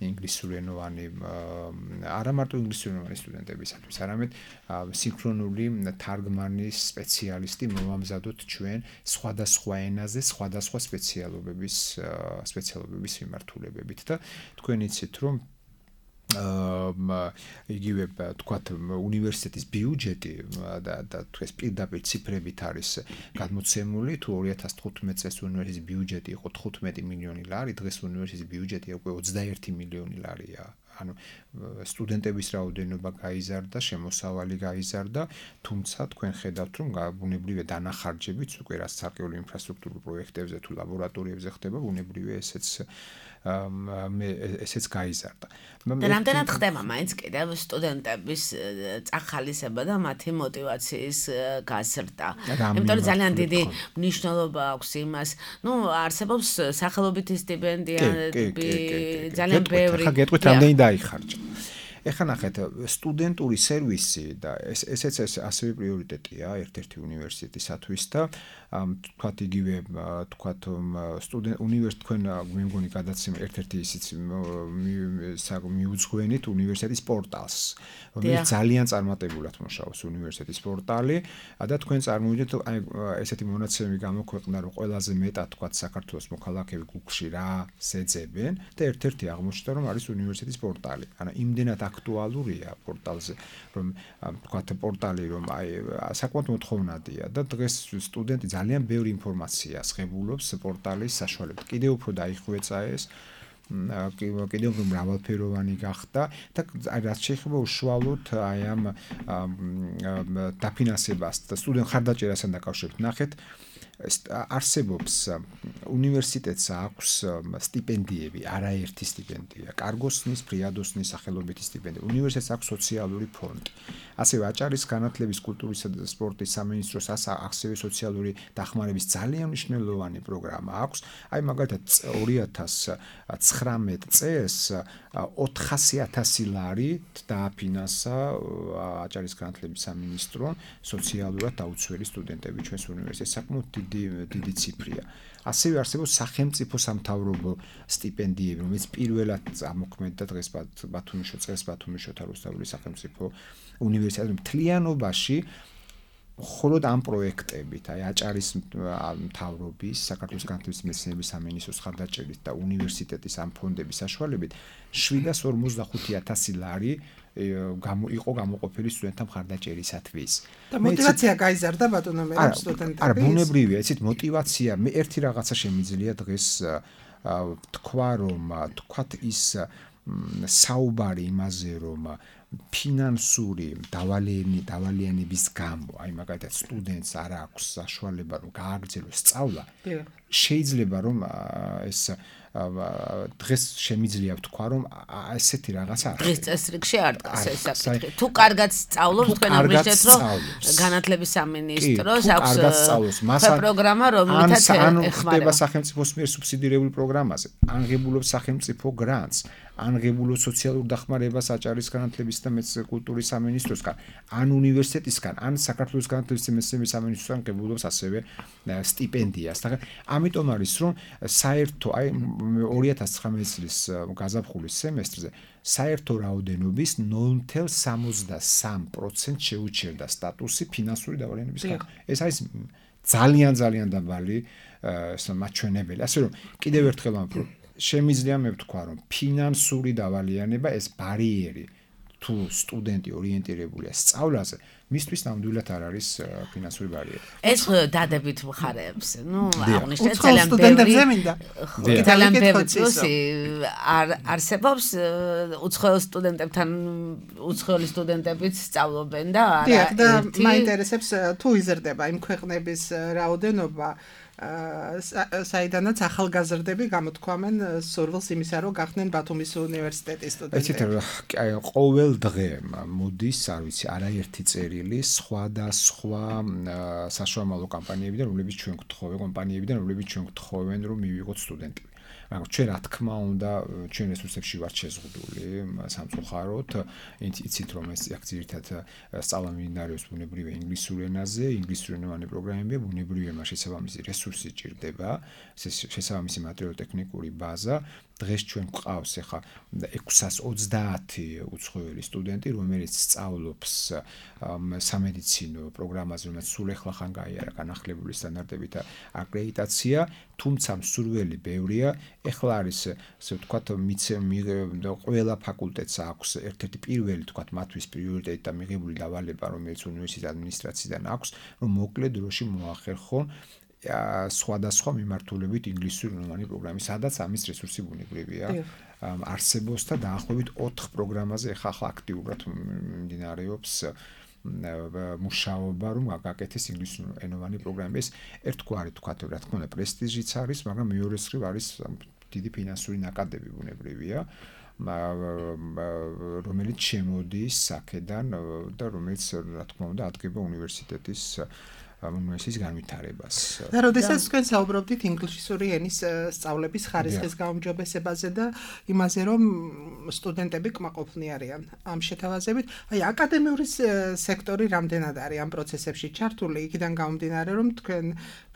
ინგლისურენოვანი არა მარტო ინგლისურენოვანი სტუდენტებისათვის, არამედ სინქრონული თარგმანის სპეციალისტი მოვამზადოთ ჩვენ სხვადასხვა ენაზე, სხვადასხვა სპეციალობების მიმართულებებით და თქვენ იცით რომ იგივე თქვათ უნივერსიტეტის ბიუჯეტი და ეს პირდაპირ ციფრებით არის გადმოცემული თუ 2015 წელს უნივერსიტეტის ბიუჯეტი იყო 15 მილიონი ლარი, დღეს უნივერსიტეტის ბიუჯეტი უკვე 21 მილიონი ლარია. ანუ სტუდენტების რაოდენობა გაიზარდა, შემოსავალი გაიზარდა, თუმცა თქვენ ხედავთ რომ ბუნებრივია დანახარჯებიც უკვე რაც სარკეული ინფრასტრუქტურულ პროექტებზე თუ ლაბორატორიებზე ხდება, ბუნებრივია ესეც გაიზარდა. და რამდენად ხდება მაინც კიდევ სტუდენტების წახალისება და მათი мотиваციის გაზრდა. იმიტომ რომ ძალიან დიდი მნიშვნელობა აქვს იმას. ნუ არსებობს სახელობითი სტიპენდიები, ძალიან ბევრი. ხა გეტყვით რამდენი დაიხარჯა. ეხლა ნახეთ, სტუდენტური სერვისი და ესეც ასევე პრიორიტეტია ერთ-ერთი უნივერსიტეტისათვის და თქვათ იგივე თქვათ უნივერსიტეტ თქვენ მე მგონი გადაცემა ერთ-ერთი ისიც მიუძღვენით უნივერსიტეტის პორტალს, რომელიც ძალიან წარმატებულად მუშაობს უნივერსიტეტის პორტალი და თქვენ წარმოვიდგინეთ აი ესეთი მონაცემები გამოქვეყნდა რომ ყველაზე მეტად თქვათ საქართველოს მოქალაქეები Google-ში რა შეძებენ და ერთ-ერთი აღმოჩნდა რომ არის უნივერსიტეტის პორტალი. ანუ იმდენად აქტუალურია პორტალზე, რომ თქვათ პორტალი რომ აი საკმაოდ მოთხოვნადია და დღეს სტუდენტი ძალიან ბევრი ინფორმაციას ღებულობს პორტალის საშუალებით. კიდევ უფრო დაიხვეწა ეს კიდევ უფრო მრავალფეროვანი გახდა და რაც შეიძლება უშუალოდ აი ამ დაფინანსებას და სტუდენტ ხარდაჭერასთან დაკავშირებით ნახეთ არსებობს უნივერსიტეტს აქვს სტიპენდიები, არაერთი სტიპენდია, კარგოსნის, ფრიადოსნის სახელობითი სტიპენდია. უნივერსიტეტს აქვს სოციალური ფონდი. ასევე აჭარის განათლების, კულტურისა და სპორტის სამინისტროს ასევე სოციალური დახმარების ძალიან მნიშვნელოვანი პროგრამა აქვს. აი მაგალითად 2019 წელს 400,000 ლარი დააფინანსა აჭარის განათლების სამინისტრომ სოციალურად დაუცველი სტუდენტები ჩვენს უნივერსიტეტში. საკმაოდ დიდი ციფრია. ასევე არსებობს სახელმწიფო სამთავრობო სტიპენდიები, რომელიც პირველად ამოქმედდა დღეს ბათუმის რუსთაველის სახელმწიფო უნივერსიტეტში. მთლიანობაში მხოლოდ ამ პროექტებით, აი აჭარის მთავრობის, საქართველოს განათლების მეცნიერების სამინისტროს ხარდაჭერით და უნივერსიტეტის ამ ფონდების საშუალებით 745,000 ლარი იყო გამოყოფილი სტუდენტთა მხარდაჭერისათვის. და მოტივაცია გაიზარდა ბატონო მე სტუდენტების. არა, ბუნებრივია, იცით, მოტივაცია, მე ერთი რაღაცა შემიძლია დღეს თქვა, რომ თქვათ ის საუბარი იმაზე, რომ ფინანსური დავალიანების გამო, აი მაგალითად სტუდენტს არ აქვს საშუალება რომ გააგრძელოს სწავლა, შეიძლება რომ ეს დღეს შემიძლია ვთქვა რომ ესეთი რაღაცა არ დღეს წესრიგში არ დგას ეს საკითხი. თუ კარგად სწავლობს, თქვენ ამბობთ რომ განათლების სამინისტროს აქვს პროგრამა, რომელთაც ხდება სახელმწიფოს მიერ სუბსიდირებული პროგრამაზე, აღებულობს სახელმწიფო გრანტს, აღებულობს სოციალურ დახმარებას აჭარის განათლების და კულტურის სამინისტროსგან, ან უნივერსიტეტისგან, ან საქართველოს განათლების და მეცნიერების სამინისტროსგან ღებულობს ასევე სტიპენდიას. ამიტომ არის რომ საერთო აი 2019 წლის გაზაფხულის სემესტრზე საერთო რაოდენობის 0.63% შეუჩერდა სტატუსი ფინანსური დავალიანების გამო. ეს არის ძალიან დაბალი მაჩვენებელი. ასე რომ კიდევ ერთხელ ამბობ, შემიძლია მე ვთქვა რომ ფინანსური დავალიანება ეს ბარიერი თუ სტუდენტი ორიენტირებულია სწავლაზე, მისთვის ნამდვილად არ არის ფინანსური ბარიერი. ეს დადებით მხარეებს, აღნიშნეთ ძალიან ბევრი პლუსი არსებობს უცხოელ სტუდენტებთან, უცხოელი სტუდენტებიც სწავლობენ და არა ერთი. მაინტერესებს თუ იზრდება იმ ქვეყნების რაოდენობა საიდანაც ახალგაზრდები გამოთქვამენ სურვილს იმისა, რომ გახდნენ ბათუმის უნივერსიტეტის სტუდენტები. ყოველ დღე მოდის, არ ვიცი, არაერთი წერილი სხვადასხვა საშუალო კომპანიებიდან, რომლებიც ჩვენ გთხოვენ, რომ მივიღოთ სტუდენტები. მაგრამ ჩვენ რა თქმა უნდა ჩვენ რესურსებში ვართ შეზღუდული სამწუხაროდ, იცით რომ ეს ძირითადად სწავლა მიმდინარეობს ბუნებრივია ინგლისურ ენაზე, ინგლისურენოვანი პროგრამებია, ბუნებრივია შესაბამისი რესურსი ჭირდება, შესაბამისი მატერიალურ-ტექნიკური ბაზა. დღეს ჩვენ გვყავს ახლა 630 უცხოელი სტუდენტი, რომელიც სწავლობს სამედიცინო პროგრამაზე, რომელიც სულ ახლახან გაიარა განახლებული სტანდარტებით აკრედიტაცია, თუმცა მსურველი ბევრია. ეხლა არის ასე ვთქვათ, ყველა ფაკულტეტს აქვს ერთ-ერთი პირველი ვთქვათ მათთვის პრიორიტეტი და მიღებული დავალება, რომელიც უნივერსიტეტის ადმინისტრაციიდან აქვს, რომ მოკლე დროში მოახერხონ სხვადასხვა მიმართულებით ინგლისურენოვანი პროგრამის, სადაც ამის რესურსი ბუნებრივია არსებობს და დაახლოებით 4 პროგრამაზე ახლა აქტიურად მიმდინარეობს მუშაობა, რომ გაკეთდეს ინგლისურენოვანი პროგრამები. ეს ერთგვარი თქვათ, რა თქმა უნდა, პრესტიჟიც არის, მაგრამ მეორე მხრივ არის დიდი ფინანსური ნაკადები ბუნებრივია, რომელიც შემოდის აქედან და რომელიც რა თქმა უნდა ადგენდა უნივერსიტეტის განვითარებას. და როდესაც თქვენ საუბრობდით ინგლისური ენის სწავლების ხარისხის გაუმჯობესებაზე და იმაზე, რომ სტუდენტები კმაყოფილნი არიან ამ შეთავაზებით, აი აკადემიური სექტორი რამდენად არის ამ პროცესებში ჩართული, იქიდან გამომდინარე, რომ თქვენ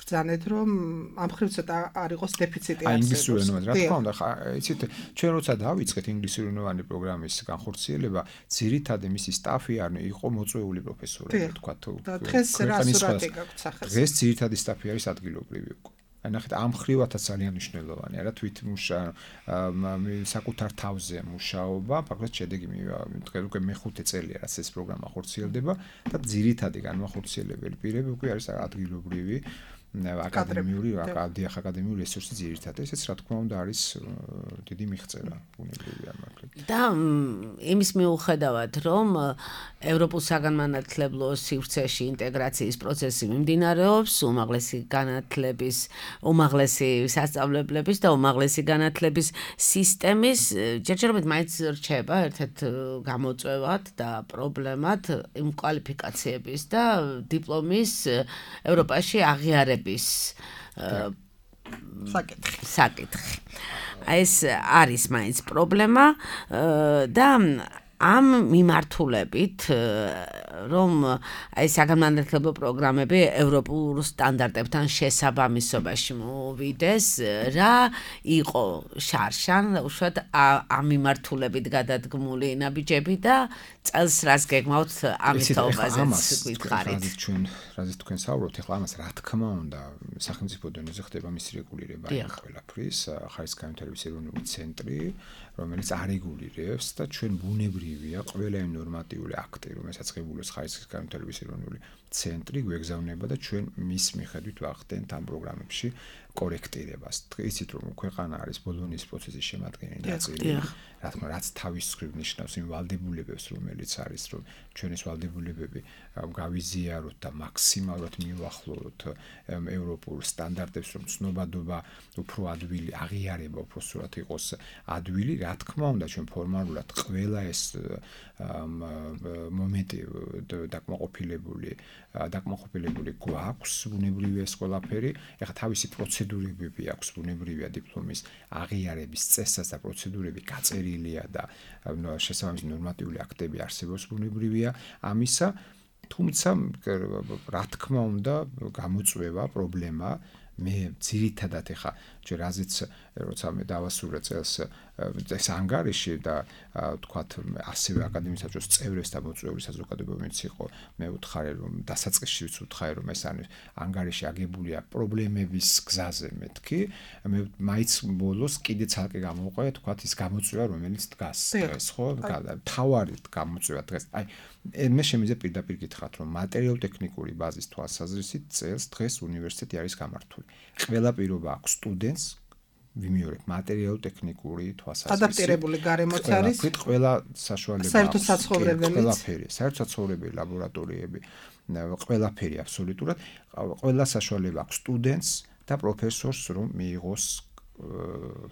ბრძანეთ, რომ ამ მხრივ ცოტა არ იყოს დეფიციტი არსებობს. ინგლისურენოვანი, რა თქმა უნდა, იცით, ჩვენ როცა დავიწყეთ ინგლისურენოვანი პროგრამის განხორციელება, ძირითადად მისი სტაფი იყო მოწვეული პროფესორები, თქვა თუ. დღეს რა სურათი დღეს ძირითადი სტაფი არის ადგილობრივი უკვე. აი ნახეთ, ამ ხრივათაც ძალიან მნიშვნელოვანია, რა თვით საკუთარ თავზე მუშაობა, ფაქტობრივად შედეგი დღეს უკვე მე-5 წელია, რაც ეს პროგრამა ხორციელდება და ძირითადი განმახორციელებელი პირები უკვე არის ადგილობრივი აკადემიური აკადემიური რესურსი ძირითადად ესეც რა თქმა უნდა არის დიდი მიღწევა ბუნებრივია მართლა და იმის მიუხედავად რომ ევროპულ საგანმანათლებლო სივრცეში ინტეგრაციის პროცესი მიმდინარეობს უმაღლესი სასწავლებლების და უმაღლესი განათლების სისტემის ჯერჯერობით მაინც რჩება ერთ-ერთ გამოწვევად და პრობლემად იმ კვალიფიკაციების და დიპლომის ევროპაში აღიარების საკითხი. ეს არის მაინც პრობლემა და ამ მიმართულებით რომ აი საგანმანათლებლო პროგრამები ევროპულ სტანდარტებთან შესაბამისობაში მოვიდეს, რა იყო შარშან, უშუალოდ ამ მიმართულებით გადადგმული ნაბიჯები და წელს რას გეგმავთ ამის თაობაზეც გითხარით. რაზეც თქვენ საუბრობთ, ახლა ამას რა თქმა უნდა სახელმწიფო დონეზე ხდება მის რეგულირება იმ ყველაფრის, ხარისხგანვითარების ეროვნული ცენტრი, რომელიც არეგულირებს და ჩვენ ბუნებრივია ყველა იმ ნორმატიული აქტი, რომელსაც ღებულობს ხარისხგანვითარების ეროვნული ცენტრი, გვეგზავნება და ჩვენ მის მიხედვით ვახდენთ ამ პროგრამებში კორექტირებას. იცით რომ ქვეყანა არის ბოლონიის პროცესის შემადგენელი ნაწილი. რა თქმა უნდა, რაც თავის მხრივ ნიშნავს იმ ვალდებულებებს, რომელიც არის, რომ ჩვენ ეს ვალდებულებები გავიზიაროთ და მაქსიმალურად მივახლოვოთ ევროპულ სტანდარტებს, რომ ცნობადობა უფრო ადვილი აღიარება უფრო სწორად იყოს ადვილი, რა თქმა უნდა, ჩვენ ფორმალურად ყველა ეს მომენტი დაკმაყოფილებული გვაქვს, ბუნებრივია ეს ყველაფერი. ეხლა თავისი პროცედურები აქვს ბუნებრივია დიპლომის აღიარების წესსაც და პროცედურები გაწერილია და შესაბამისი ნორმატიული აქტები არსებობს ბუნებრივია ამისა, თუმცა რა თქმა უნდა გამოწვევა პრობლემა მე ძირითადად ეხა ჯერ რაზეც როცა მე დავასრულე წელს ეს ანგარიში და თქვათ ასევე აკადემიის საბჭოს წევრებს და მოწვეული საზოგადოებებიც იყო მე ვუთხარი რომ დასაწყისშიც ვუთხარი რომ ეს ანგარიში აგებულია პრობლემების გზაზე მეთქი მე მაინც ბოლოს კიდე ცალკე გამოვყვე თქვათ ის გამოწვევა რომელიც დგას დღეს ხო თავარი გამოწვევა დღეს აი მე შემიძლია პირდაპირ გითხრათ რომ მატერიალურ-ტექნიკური ბაზის თვალსაზრისით წელს დღეს უნივერსიტეტი არის გამართული ყველა პირობა აქვს სტუდენტს ვიმეორებ მატერიალურ-ტექნიკური თვალსაზრისით ადაპტირებული გარემოც არის ყველა საშუალება საერთო საცხოვრებელიც ყველაფერი საერთო საცხოვრებელი ლაბორატორიები ყველაფერი აბსოლუტურად ყველა საშუალება აქვს სტუდენტს და პროფესორს რომ მიიღოს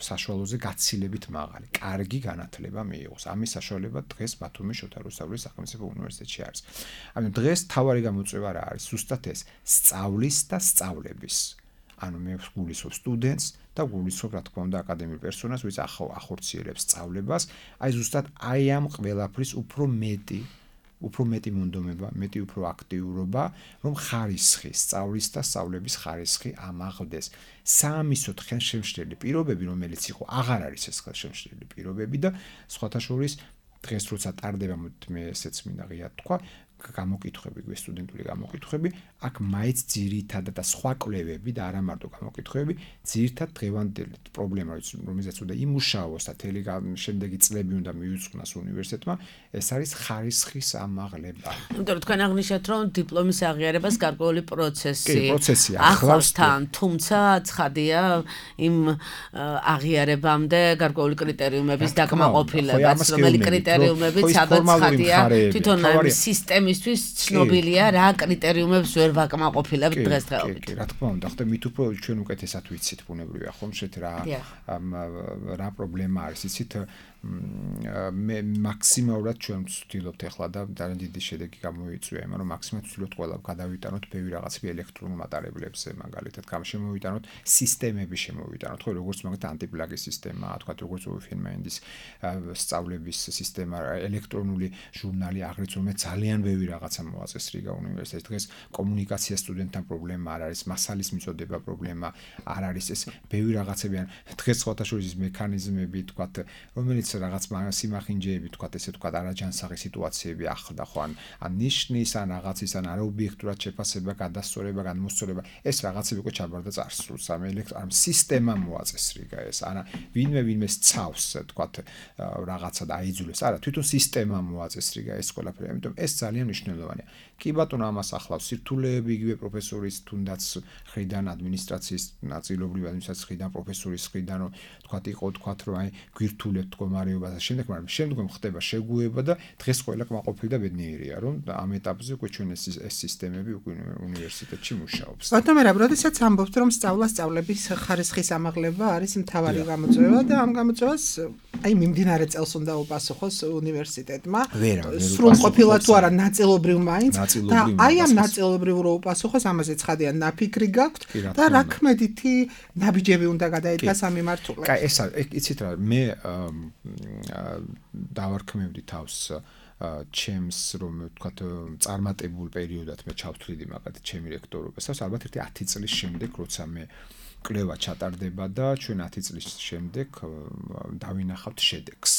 საშუალოზე გაცილებით მაღალი, კარგი განათლება მიიღოს. ამის საშუალება დღეს ბათუმის შოთა რუსთაველის სახელმწიფო უნივერსიტეტში არის. ანუ დღეს თავარი გამოწვევა რა არის? ზუსტად ეს სწავლის და სწავლების. ანუ მე გულისხმობ სტუდენტს და გულისხმობ რა თქმა უნდა აკადემიურ პერსონალს, ვინც ახორციელებს სწავლებას. აი ზუსტად აი ამ ყველაფრის უფრო მეტი მონდომება, მეტი უფრო აქტიურობა, რომ ხარისხი, სწავლის და სწავლების ხარისხი ამაღლდეს. საამისოდ ხელშემშლელი პირობები, რომელიც იყო, აღარ არის ეს ხელშემშლელი პირობები და სხვათა შორის დღეს როცა ტარდება მე ესეც მინდა ღიად თქვა, გამოკითხვები, სტუდენტური გამოკითხვები, აქ მაინც ძირითადად და სხვა კვლევები და არა მარტო გამოკითხვები, ძირითადად დღევანდელი პრობლემა, რომელზეც უნდა იმუშაოს და თელი შემდეგი წლები უნდა მიუძღვნას უნივერსიტეტმა, ეს არის ხარისხის ამაღლება. იმიტომ რომ თქვენ აღნიშნეთ, რომ დიპლომის აღიარებას გარკვეული პროცესი ახლავს თან, თუმცა ცხადია იმ აღიარებამდე გარკვეული კრიტერიუმების დაკმაყოფილებას, რომელი კრიტერიუმები სადაც ცხადია თვითონ სისტემისთვის ცნობილია რა კრიტერიუმებს ვერ ვაკმაყოფილებთ დღესდღეობით. კი, რა თქმა უნდა, ხდება მით უფრო ჩვენ უკეთესად ვიცით ბუნებრივია ხომ შეთ რა პრობლემა არის, იცით მე მაქსიმალურად ჩვენ ვცდილობთ ახლა და ძალიან დიდი შედეგი გამოიწვია, მაგრამ მაქსიმალურად ვცდილობთ ყველა გადავიტანოთ ბევრი რაღაცები ელექტრონულ მატარებლებზე, მაგალითად, შემოვიტანოთ სისტემები შემოვიტანოთ, ხო, როგორც მაგალითად ანტიპლაგის სისტემა, თქვა როგორც უიფენმენდის სწავლების სისტემა, ელექტრონული ჟურნალი, აღრიც რომ ძალიან ბევრი რაღაცა მოაწესრიგა უნივერსიტეტს. დღეს კომუნიკაცია სტუდენტთან პრობლემა არ არის, მასალის მიწოდება პრობლემა არ არის, ეს ბევრი რაღაცები არის. დღეს სხვათა შორის მექანიზმები, თქვა, რომელიც მაინც რაღაც სიმახინჯეები თქვა ესე თქვა არაჯანსაღი სიტუაციები ახლდა ხო ან ნიშნის ან რაღაცის ან არაობიექტურად შეფასება გადასწორება გადმოსწორება ეს რაღაცები უკვე ჩაბარდა წარსულს ამ ამ სისტემა მოაწესრიგა ეს არა ვინმე ცავს თქვა რაღაცა დაიძულეს არა თვითონ სისტემა მოაწესრიგა ეს ყველაფერი ამიტომ ეს ძალიან მნიშვნელოვანია კი ბატონო ამას ახლავს სირთულეები იგივე პროფესორის თუნდაც ხრიდან ადმინისტრაციის ნაწილობრივ ადმინისტრაციის ხრიდან პროფესორის ხრიდან რომ თქვა იყო თქვა რომ აი გვირთულებთ მდგომარეობას და შემდეგ მაგრამ შემდგომ ხდება შეგუება და დღეს ყველა კმაყოფილი და ბედნიერია რომ ამ ეტაპზე უკვე ჩვენ ეს სისტემები უკვე უნივერსიტეტში მუშაობს ბატონო რა როდესაც ამბობთ რომ სწავლების ხარისხის ამაღლება არის მთავარი გამოწვევა და ამ გამოწვევას აი მიმდინარე წელს უნდა უპასუხოს უნივერსიტეტმა სრულყოფილა თუ არა ნაწილობრივ მაინც და აი ამ ნაწილობრივ რო უპასუხოს ამაზე ცხადია ნაფიქრი გაქვთ და რა ქმედითი ნაბიჯები უნდა გადაიდგას ამ მიმართულებით. კაი ესა იცით რა მე დავარქმევდი თავს ჩემს რომ ვთქვათ წარმატებულ პერიოდად მე ჩავთვლიდი მაგათ ჩემი რექტორობასაც ალბათ ერთი 10 წლის შემდეგ როცა მე კვლევა ჩატარდება და ჩვენ 10 წლის შემდეგ დავინახავთ შედეგს.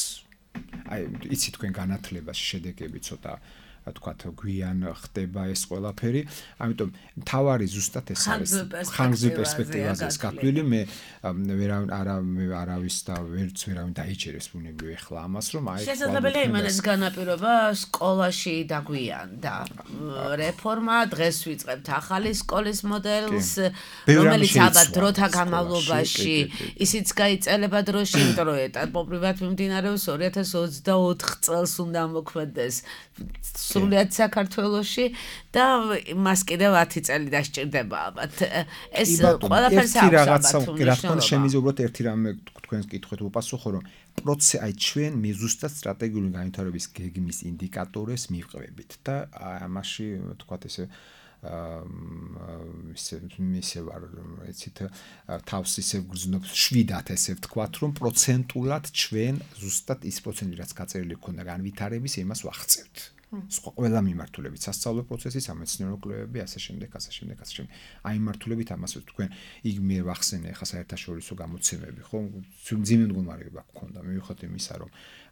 აი იცით თქვენ განათლებაში შედეგები ცოტა თქვათ გვიან ხდება ეს ყველაფერი ამიტომ თავარი ზუსტად ეს არის ხანგრძლივ პერსპექტივაზე ეს გაფლილი მე არავის და ვერც ვერავინ დაიჭერეს ბუნებრივი ახლა ამას რომ აი შესაძლებელია იმანაც განაპირობა სკოლაში დაგვიანდა რეფორმა დღეს ვიწყებთ ახალი სკოლის მოდელს რომელიც ალბათ დროთა განმავლობაში ისიც გაიწელება დროში იმიტომ რომ ეტაპობრივად მიმდინარეობს 2024 წელს უნდა მოქმედდეს სრულიად საქართველოში და მას კიდევ 10 წელი დასჭირდება ალბათ. ეს ყველაფერს აქვს რა თქმა შემიძლია უბრალოდ ერთი რამე თქვენს კითხვით უპასუხო რომ აი ჩვენ მე ზუსტად სტრატეგიული განვითარების გეგმის ინდიკატორებს მივყევებით და ამაში თქვათ ესე ისე ვარ ეცით თავს ისე გრძნობ 7-ად ესე ვთქვათ რომ პროცენტულად ჩვენ ზუსტად ის პროცენტი რაც გაწერილი ქონდა განვითარების იმას ვახცევთ. ყველა მიმართულებით სასწავლო პროცესი სამეცნიერო კვლევები ასე შემდეგ აი მიმართულებით ამას თქვენ იგ მე ვახსენე ხა საერთაშორისო გამოცემები ხო ძიმე მდგომარეობა გქონდა მივიხოთ იმისა რომ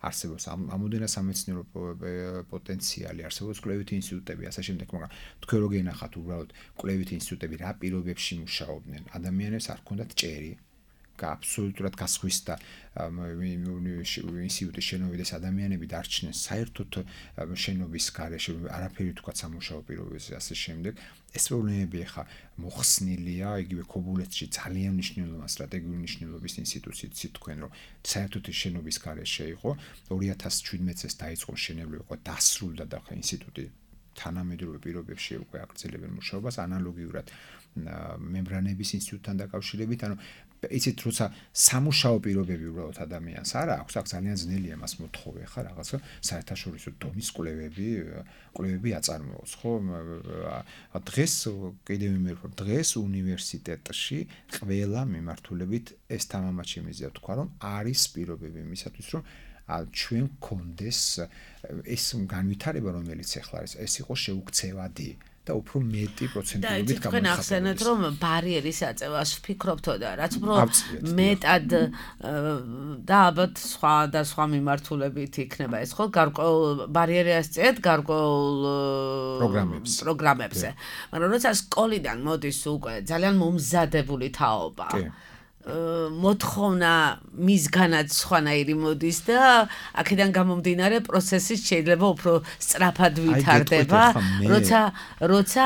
არსებობს ამოდენა სამეცნიერო პოტენციალი არსებობს კვლევითი ინსტიტუტები ასე შემდეგ მაგრამ თქვენ რო გენახათ უბრალოდ კვლევითი ინსტიტუტები რა პირობებში მუშაობდნენ ადამიანებს არ ქონდათ ჭერი აბსოლუტურად გასხვისდა ინსტიტუტის შენობიდეს ადამიანები დარჩნენ საერთოდ შენობის გარეშე არაფერი თქვა სამუშაო პირობებზე ასე შემდეგ ეს პრობლემები ხა მოხსნილია იგივე ქობულეთში ძალიან მნიშვნელოვანი სტრატეგიული მნიშვნელობის ინსტიტუცია თქვენ რომ საერთოდ შენობის გარეშე იყო 2017 წელს დაიწყო მშენებლობა იყო დასრულდა და ხა ინსტიტუტი თანამედროვე პირობებში უკვე აგრძელებენ მუშაობას ანალოგიურად მემბრანების ინსტიტუტთან დაკავშირებით ანუ იცით როცა სამუშაო პირობები უბრალოდ ადამიანს არა აქვს აქ ძალიან ძნელია მას მოთხოვე ხა რაღაცა საერთაშორისო დონის კვლევები აწარმოოს ხო დღეს კიდევ იმერფო დღეს უნივერსიტეტში ყველა მიმართულებით ეს თამამად შემიძლია თქვა რომ არის პირობები იმისათვის რომ ჩვენ გქონდეს ეს განვითარება რომელიც ახლა არის ეს იყო შეუქცევადი და უფრო მეტი პროცენტულობით გამოიხატება. თქვენ ახსენეთ რომ ბარიერის აწევას ვფიქრობთო და რაც უფრო მეტად და ალბათ სხვა მიმართულებით იქნება ეს ხო გარკვეულ ბარიერას წეთ გარკვეულ პროგრამებზე. მაგრამ როცა სკოლიდან მოდის უკვე ძალიან მომზადებული თაობა მოთხოვნა მისგანაც სხვანაირი მოდის და აქედან გამომდინარე პროცესი შეიძლება უფრო სწრაფად ვითარდება როცა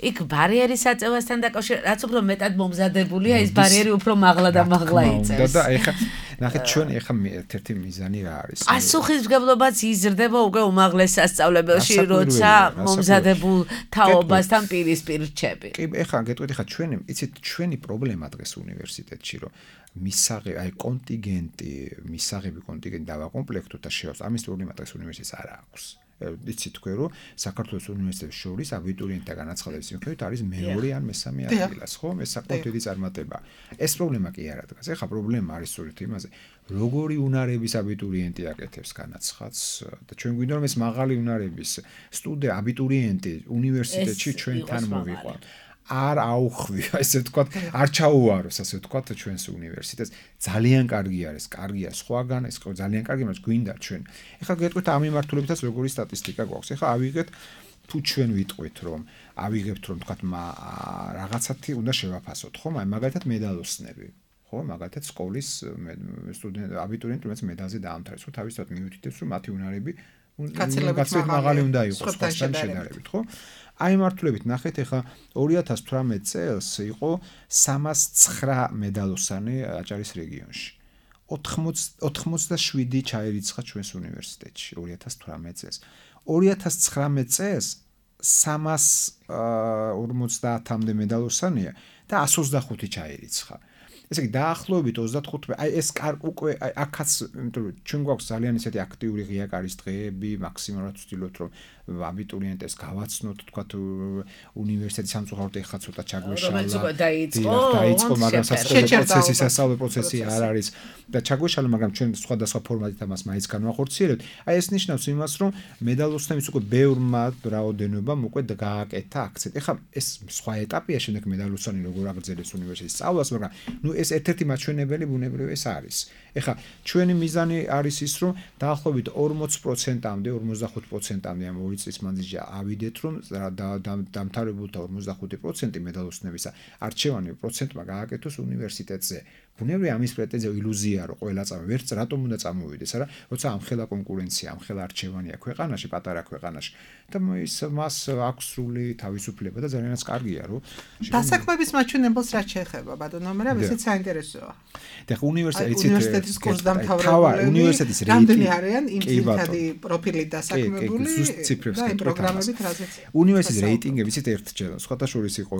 იქ ბარიერის აწევასთან დაკავშირებით რაც უფრო მეტად მომზადებულია ის ბარიერი უფრო მაღლა და მაღლა იწევს და ეხა ნახეთ ჩვენ ეხა ერთ-ერთი მიზანი რა არის პასუხისმგებლობაც იზრდება უკვე უმაღლეს სასწავლებელში როცა მომზადებულ თაობასთან პირისპირ რჩები კი ეხა გეტყვით ეხა ჩვენი იცით ჩვენი პრობლემა დღეს უნივერსიტეტში რომ მისაღები აი მისაღები კონტინგენტი დავაკომპლექტოთ და შევავს ამის პრობლემა დღეს უნივერსიტეტს არ აქვს იცით თქვენ რომ საქართველოს უნივერსიტეტის შორის აბიტურიენტთა განაცხადების მიხედვით არის მეორე ან მესამე ადგილას ხო ეს საკმაოდ დიდი წარმატება ეს პრობლემა კი არა დგას ეხა პრობლემა არის სწორედ იმაზე როგორი უნარების აბიტურიენტი აკეთებს განაცხადს და ჩვენ გვინდა რომ ეს მაღალი უნარების აბიტურიენტი უნივერსიტეტში ჩვენთან მოვიყვანოთ არ აუხვი, ესე ვთქვათ, არ ჩაუვაროს, ასე ვთქვათ, ჩვენს უნივერსიტეტს. ძალიან კარგი არის, კარგია სხვაგან, ეს ძალიან კარგი, მაგრამ გვინდა ჩვენ. ეხლა გეტყვით ამ მიმართულებითაც როგორი სტატისტიკა გვაქვს. ეხლა ავიღეთ თუ ჩვენ ვიტყვით, რომ ავიღებთ რომ ვთქვათ, რაღაცათი უნდა შევაფასოთ, ხო? მაგალითად მედალოსნები. ხო, მაგალითად სკოლის სტუდენტ აბიტურიენტი, რომელიც მედალზე დაამთავრეს, ხო, თავისთავად მიუთითებს, რომ მათი უნარები გაცილებით მაღალი უნდა იყოს სხვასთან შედარებით, ხო? აი მართლებით ნახეთ, ეხლა 2018 წელს იყო 309 მედალოსანი აჭარის რეგიონში. 87 ჩაირიცხა ჩვენს უნივერსიტეტში 2018 წელს. 2019 წელს 350-მდე მედალოსანია და 125 ჩაირიცხა. ესე იგი დაახლოებით 35, აი ეს უკვე აქაც, იმიტომ რომ ჩვენ გვაქვს ძალიან ისეთი აქტიური ღია კარის დღეები, მაქსიმალურად ვცდილობთ რომ აბიტურიენტებს გავაცნოთ, თქვათ უნივერსიტეტის სამწუხაროდ ეხლა ცოტა ჩაგვეშალა. დაიწყო, მაგრამ სასწავლო პროცესი არ არის და ჩაგვეშალა, მაგრამ ჩვენ სხვადასხვა ფორმატით ამას მაინც განვახორციელებთ. აი ეს ნიშნავს იმას, რომ მედალოსნების უკვე ბევრმა რაოდენობამ უკვე გააკეთა აქცენტი. ეხლა ეს სხვა ეტაპია, შემდეგ მედალოსანი როგორ აგრძელებს უნივერსიტეტის სწავლას, მაგრამ ნუ ეს ერთ-ერთი მაჩვენებელი ბუნებრივი ეს არის. ეხლა ჩვენი მიზანი არის ის, რომ დაახლოებით 40%-მდე, 45%-მდე ამ 2 წლის მანძილში ავიდეთ, რომ დამთავრებულთა 45% მედალოსნებისა არჩევანი პროცენტმა გააკეთოს უნივერსიტეტზე. ბუნებრივია ამის პრეტენზია ილუზია, რომ ყველა წამოვიდეს, ვერც რატომ უნდა წამოვიდეს, არა? როცა ამხელა კონკურენცია, ამხელა არჩევანია ქვეყანაში, პატარა ქვეყანაში და მას აქვს სრული თავისუფლება და ძალიანაც კარგია, რომ დასაქმების მაჩვენებელს რაც შეეხება, ბატონო, მაგრამ ესეც საინტერესოა. და უნივერსიტეტის კურსდამთავრებული უნივერსიტეტის რეიტინგი არიან იმ ძირითადი პროფილით დასაქმებული და იმ პროგრამებით რაზეც. უნივერსიტეტის რეიტინგები ისეთ ერთჯერ, სხვათა შორის იყო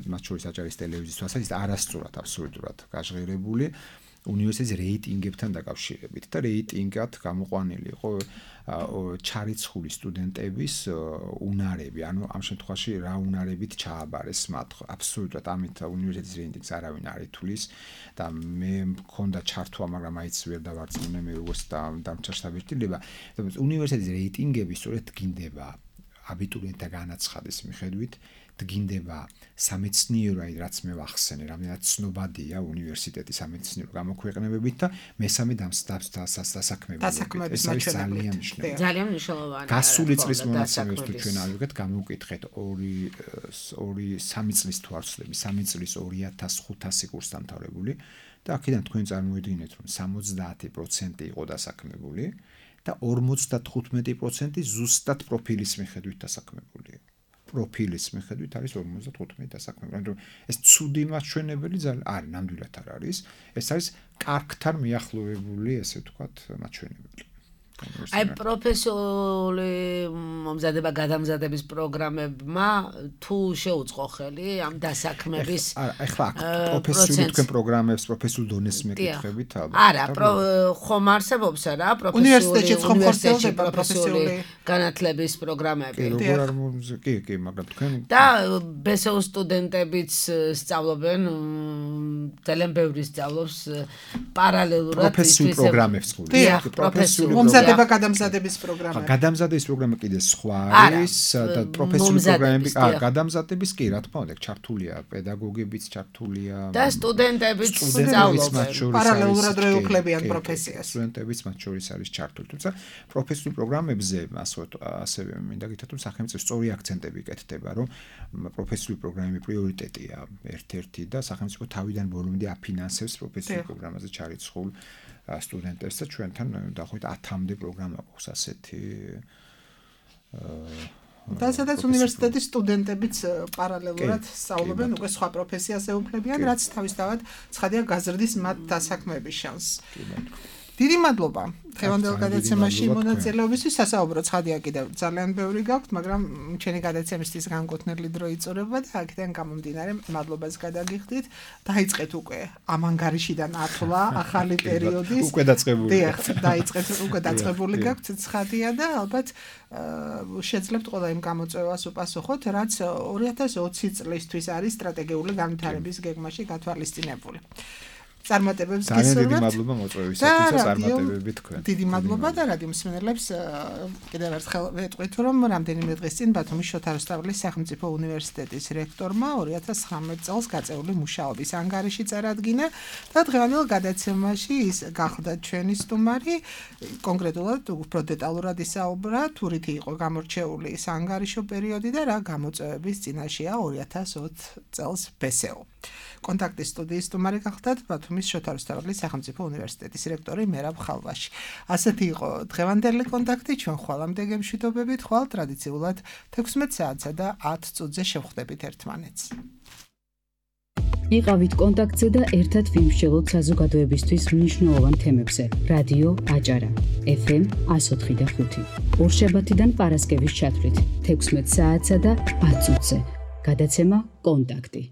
მათ შორის აჭარის ტელევიზიის თვალსაზრისით არასწორად, აბსოლუტურად გაჟღერებული უნივერსიტეტის რეიტინგებთან დაკავშირებით და რეიტინგად გამოყვანილი იყო ჩარიცხული სტუდენტების უნარები, ანუ ამ შემთხვევაში რა უნარებით ჩააბარეს მათ. აბსოლუტურად ამით უნივერსიტეტის რეიტინგს არავინ არ ითვლის და მე მქონდა ჩართვა, მაგრამ აიც ვერ დავარწმუნე მე როგორც დამჭერშტაბილება. უნივერსიტეტის რეიტინგები სწორედ დგინდება აბიტურიენტთა განაცხადის მიხედვით, დგინდება სამეცნიერო, აი რაც მე ვახსენე, რამდენად ცნობადია უნივერსიტეტის სამეცნიერო გამოქვეყნებებით და მესამე დასაქმებებით. დასაქმების მაჩვენებლით. ძალიან მნიშვნელოვანია. გასული წლის მონაცემებს თუ ჩვენ ავიღეთ, გამოვკითხეთ 3 წლის თვალსაზრისით, 3 წლის 2500 კურსდამთავრებული და აქედან თქვენ წარმოიდგინეთ, რომ 70% იყო დასაქმებული და 55% ზუსტად პროფილის მიხედვით დასაქმებული. პროფილის მიხედვით არის 55 დასაქმებული. ანუ ეს ცუდი მაჩვენებელი ძალიან არის, ნამდვილად არ არის. ეს არის კარგთან მიახლოვებული, ესე ვთქვათ, მაჩვენებელი. აი პროფესიული მომზადება გადამზადების პროგრამებმა თუ შეუწყო ხელი ამ დასაქმების ახლა პროფესიული თქვენ πρოგრამებს პროფესიულ დონეს მეკითხებით ალბათ არა ხომ არსებობს რა უნივერსიტეტში პროფესიული განათლების პროგრამები კი მაგრამ თქვენ და ბესეულ სტუდენტებიც სწავლობენ ძალიან ბევრი სწავლობს პარალელურად პროფესიულ პროგრამებს პროფესიული გადამზადების პროგრამა. გადამზადების პროგრამა კიდე სხვა არის და პროფესიული პროგრამები, გადამზადების კი, რა თქმა უნდა, ჩართულია პედაგოგებიც, ჩართულია და სტუდენტებიც სწავლობენ. პარალელურად რეუქლებიან პროფესიას. სტუდენტებიც მათ შორის არის ჩართული. თუმცა პროფესიულ პროგრამებზე ასევე მინდა გითხრათ, რომ სახელმწიფო სწორი აქცენტები იკეთდება, რომ პროფესიული პროგრამები პრიორიტეტია ერთ-ერთი და სახელმწიფო თავიდან ბოლომდე აფინანსებს პროფესიულ პროგრამაზე ჩარიცხულ სტუდენტებს და ჩვენთან დაახლოებით 10-მდე პროგრამა გვაქვს ასეთი. და სადაც უნივერსიტეტის სტუდენტებიც პარალელურად სწავლობენ უკვე სხვა პროფესიას ეუფლებიან, რაც თავისთავად ცხადია გაზრდის მათ დასაქმების შანსს. დიდი მადლობა დღევანდელ გადაცემაში მონაწილეობისთვის. სასაუბრო ცხადია კიდევ ძალიან ბევრი გაქვთ, მაგრამ ჩვენი გადაცემისთვის განკუთვნილი დრო იწურება და აქედან გამომდინარე მადლობას გადაგიხდით. დაიწყეთ უკვე ამ ანგარიშიდან ათვლა ახალი პერიოდის. უკვე დაწყებული. დიახ, დაიწყეთ უკვე დაწყებული გაქვთ ცხადია და ალბათ შეძლებთ ყველა იმ გამოწვევას უპასუხოთ, რაც 2020 წლისთვის არის სტრატეგიული განვითარების გეგმაში გათვალისწინებული. წარმატებებს გისურვებთ. ძალიან დიდი მადლობა მოწვევისათვის და წარმატებები თქვენ. დიდი მადლობა და რადიო მსმენელებს კიდევ ერთხელ ვეტყვით, რომ რამდენიმე დღის წინ ბათუმის შოთა რუსთაველის სახელმწიფო უნივერსიტეტის რექტორმა 2019 წელს გაწეული მუშაობის ანგარიში წარადგინა და დღევანდელ გადაცემაში ის გახდა ჩვენი სტუმარი. კონკრეტულად უფრო დეტალურად ისაუბრა, თუ რითი იყო გამორჩეული სანგარიშო პერიოდი და რა გამოწვევების წინაშეა 2020 წელს ბესეო. კონტაქტის სტუდიის სტუმარი გახდათ ბათუმის შოთა რუსთაველის სახელმწიფო უნივერსიტეტის რექტორი მერაბ ხალვაში. ასეთი იყო დღევანდელი კონტაქტი, ჩვენ ხვალამდე გემშვიდობებით, ხვალ ტრადიციულად 16 საათსა და 10 წუთზე შევხვდებით ერთმანეთს. იყავით კონტაქტზე და ერთად ვიმსჯელოთ საზოგადოებისთვის მნიშვნელოვან თემებზე. რადიო აჭარა FM 104.5. ორშაბათიდან პარასკევის ჩათვლით 16 საათსა და 10 წუთზე. გადაცემა კონტაქტი.